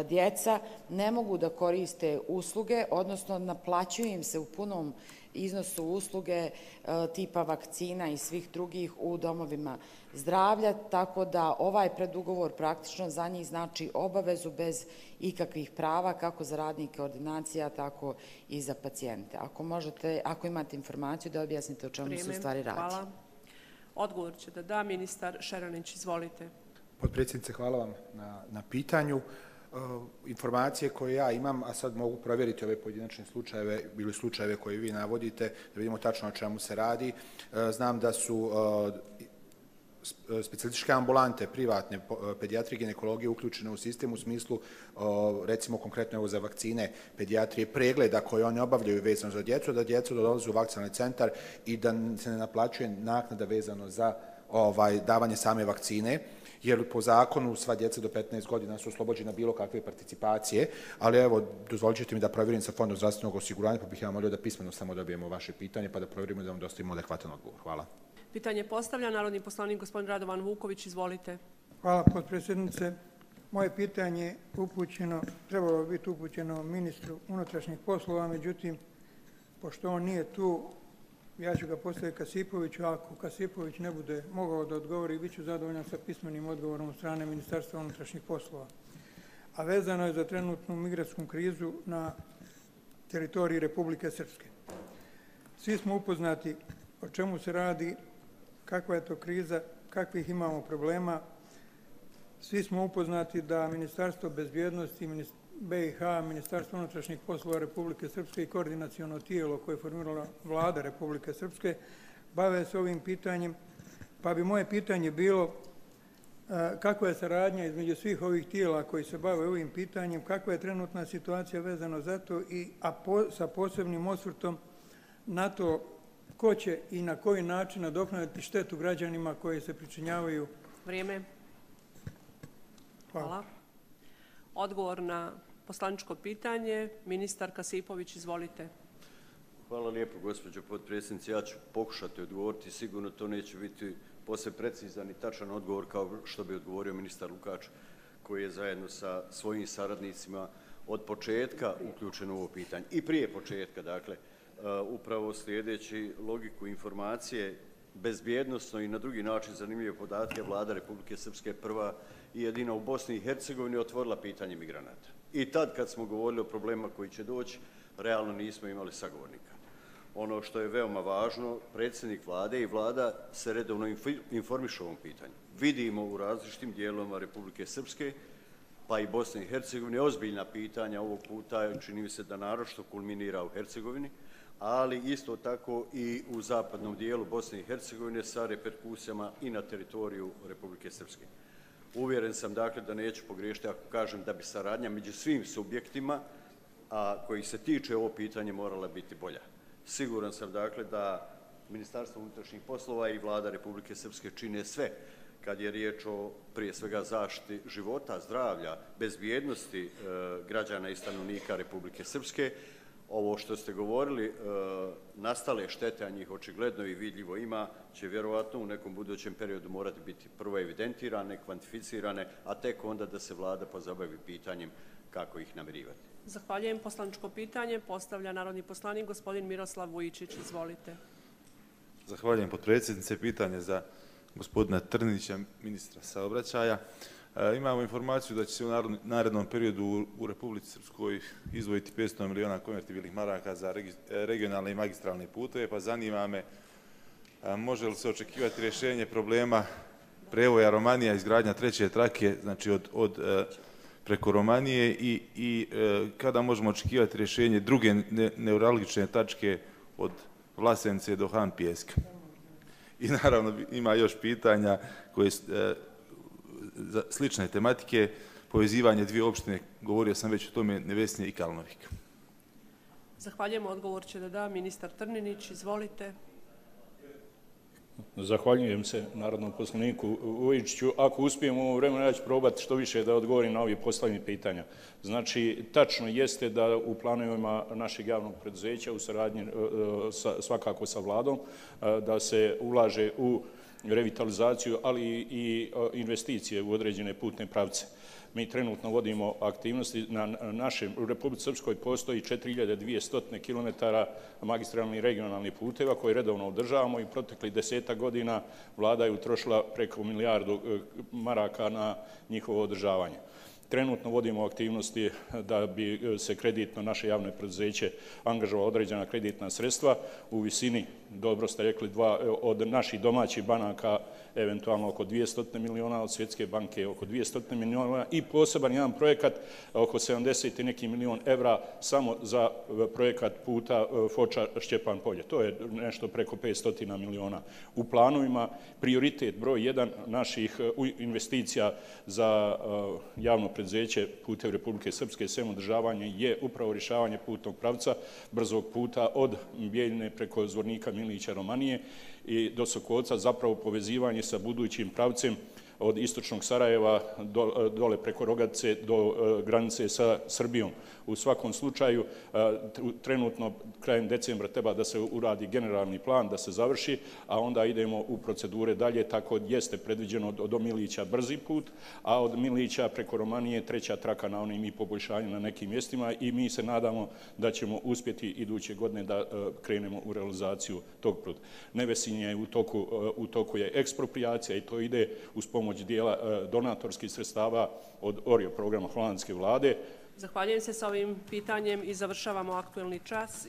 djeca, ne mogu da koriste usluge, odnosno naplaćuju im se u punom iznosu usluge tipa vakcina i svih drugih u domovima zdravlja, tako da ovaj predugovor praktično za njih znači obavezu bez ikakvih prava, kako za radnike ordinacija, tako i za pacijente. Ako možete, ako imate informaciju, da objasnite o čemu se u stvari radi. Hvala. Odgovor će da da ministar Šeranić. Izvolite. Potpredsjednice, hvala vam na, na pitanju. Informacije koje ja imam, a sad mogu provjeriti ove pojedinačne slučajeve ili slučajeve koje vi navodite, da vidimo tačno o čemu se radi. Znam da su specijalističke ambulante, privatne pedijatrije i ginekologije uključene u sistem u smislu, recimo konkretno evo za vakcine pedijatrije, pregleda koje oni obavljaju vezano za djecu, da djecu dolaze u vakcinalni centar i da se ne naplaćuje naknada vezano za ovaj, davanje same vakcine, jer po zakonu sva djeca do petnaest godina su oslobođena bilo kakve participacije, ali evo, dozvolit ćete mi da provjerim sa Fondom zdravstvenog osiguranja, pa bih ja molio da pismeno samo dobijemo vaše pitanje, pa da provjerimo da vam dostavimo adekvatan odgovor. Hvala. Pitanje postavlja narodni poslanik gospodin Radovan Vuković. Izvolite. Hvala, potpredsjednice. Moje pitanje upućeno, trebalo bi biti upućeno ministru unutrašnjih poslova, međutim, pošto on nije tu, ja ću ga postaviti Kasipoviću, ako Kasipović ne bude mogao da odgovori, bit ću zadovoljan sa pismenim odgovorom od strane Ministarstva unutrašnjih poslova. A vezano je za trenutnu migratsku krizu na teritoriji Republike Srpske. Svi smo upoznati o čemu se radi, kakva je to kriza, kakvih imamo problema. Svi smo upoznati da Ministarstvo bezbjednosti, B i H, Ministarstvo unutrašnjih poslova Republike Srpske i koordinaciono tijelo koje je formirala Vlada Republike Srpske bave se ovim pitanjem, pa bi moje pitanje bilo kakva je saradnja između svih ovih tijela koji se bave ovim pitanjem, kakva je trenutna situacija vezano za to i a po, sa posebnim osvrtom na to ko će i na koji način nadoknaditi štetu građanima koji se pričinjavaju. Vrijeme. Hvala. Hvala. Odgovor na poslaničko pitanje. Ministar Kasipović, izvolite. Hvala lijepo, gospođo potpredsjednice. Ja ću pokušati odgovoriti. Sigurno to neće biti posve precizan i tačan odgovor kao što bi odgovorio ministar Lukač, koji je zajedno sa svojim saradnicima od početka uključen u ovo pitanje. I prije početka, dakle, upravo slijedeći logiku informacije, bezbjednosno i na drugi način zanimljive podatke, Vlada Republike Srpske prva i jedina u Bosni i Hercegovini otvorila pitanje migranata. I tad kad smo govorili o problemima koji će doći, realno nismo imali sagovornika. Ono što je veoma važno, predsjednik vlade i vlada se redovno informišu o ovom pitanju. Vidimo u različitim dijelovima Republike Srpske, pa i Bosne i Hercegovine, ozbiljna pitanja ovog puta, čini mi se da naročito kulminira u Hercegovini, ali isto tako i u zapadnom dijelu Bosne i Hercegovine sa reperkusijama i na teritoriju Republike Srpske. Uvjeren sam, dakle, da neću pogriješiti ako kažem da bi saradnja među svim subjektima, a kojih se tiče ovo pitanje, morala biti bolja. Siguran sam, dakle, da Ministarstvo unutrašnjih poslova i Vlada Republike Srpske čine sve kad je riječ o, prije svega, zaštiti života, zdravlja, bezbjednosti e, građana i stanovnika Republike Srpske. Ovo što ste govorili, e, nastale štete, a njih očigledno i vidljivo ima, će vjerovatno u nekom budućem periodu morati biti prvo evidentirane, kvantificirane, a tek onda da se vlada pozabavi pitanjem kako ih namirivati. Zahvaljujem. Poslaničko pitanje postavlja narodni poslanik gospodin Miroslav Vujičić. Izvolite. Zahvaljujem, potpredsjednice. Pitanje za gospodina Trnića, ministra saobraćaja. E, imamo informaciju da će se u narednom periodu u, u Republici Srpskoj izdvojiti petsto miliona konvertibilnih maraka za regionalne i magistralne puteve, pa zanima me a, može li se očekivati rješenje problema prevoja Romanija, izgradnja treće trake, znači od, od e, preko Romanije i, i e, kada možemo očekivati rješenje druge ne, neuralgične tačke od Vlasenice do Han Pijeska. I naravno ima još pitanja koje e, za slične tematike, povezivanje dvije opštine, govorio sam već o tome, Nevesnje i Kalnovik. Zahvaljujem. Odgovor će da da ministar Trninić. Izvolite. Zahvaljujem se narodnom poslaniku Vujičiću. Ako uspijem u ovo vremenu, ja ću probati što više da odgovorim na ovih postavljenih pitanja. Znači, tačno jeste da u planovima našeg javnog preduzeća, u saradnji sa, svakako sa vladom, da se ulaže u revitalizaciju, ali i investicije u određene putne pravce. Mi trenutno vodimo aktivnosti na našem, u Republici Srpskoj postoji četiri hiljade dvjesto kilometara magistralnih i regionalnih puteva koje redovno održavamo i proteklih desetak godina vlada je utrošila preko milijardu maraka na njihovo održavanje. Trenutno vodimo aktivnosti da bi se kreditno naše javno preduzeće angažovalo određena kreditna sredstva u visini, dobro ste rekli, dva, od naših domaćih banaka eventualno oko dvjesto miliona, od Svjetske banke oko dvjesto miliona i poseban jedan projekat oko sedamdeset i neki milion evra samo za projekat puta Foča Šćepan Polje. To je nešto preko petsto miliona. U planovima prioritet broj jedan naših investicija za javno preduzeće Putevi Republike Srpske sem održavanje je upravo rješavanje putnog pravca brzog puta od Bijeljine preko Zvornika, Milića, Romanije i do Sokolca, zapravo povezivanje sa budućim pravcem od istočnog Sarajeva do, dole preko Rogatice do granice sa Srbijom. U svakom slučaju, trenutno krajem decembra treba da se uradi generalni plan, da se završi, a onda idemo u procedure dalje, tako jeste predviđeno do Milića brzi put, a od Milića preko Romanije treća traka na onim i poboljšanju na nekim mjestima i mi se nadamo da ćemo uspjeti iduće godine da krenemo u realizaciju tog puta. Nevesinje je u toku, u toku je ekspropriacija i to ide uz pomoć dijela donatorskih sredstava od Orio programa holandske vlade. Zahvaljujem se sa ovim pitanjem i završavamo aktuelni čas.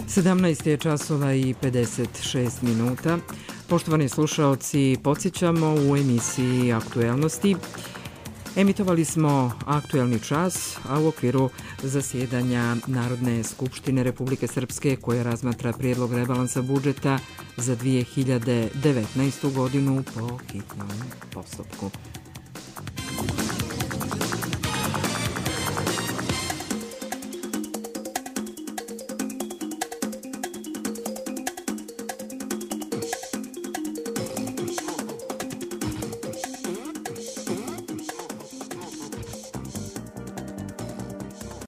sedamnaest je časova i pedeset šest minuta. Poštovani slušaoci, podsjećamo u emisiji Aktuelnosti. Emitovali smo aktuelni čas, a u okviru zasjedanja Narodne skupštine Republike Srpske koja razmatra prijedlog rebalansa budžeta za dvije hiljade devetnaestu godinu po hitnom postupku.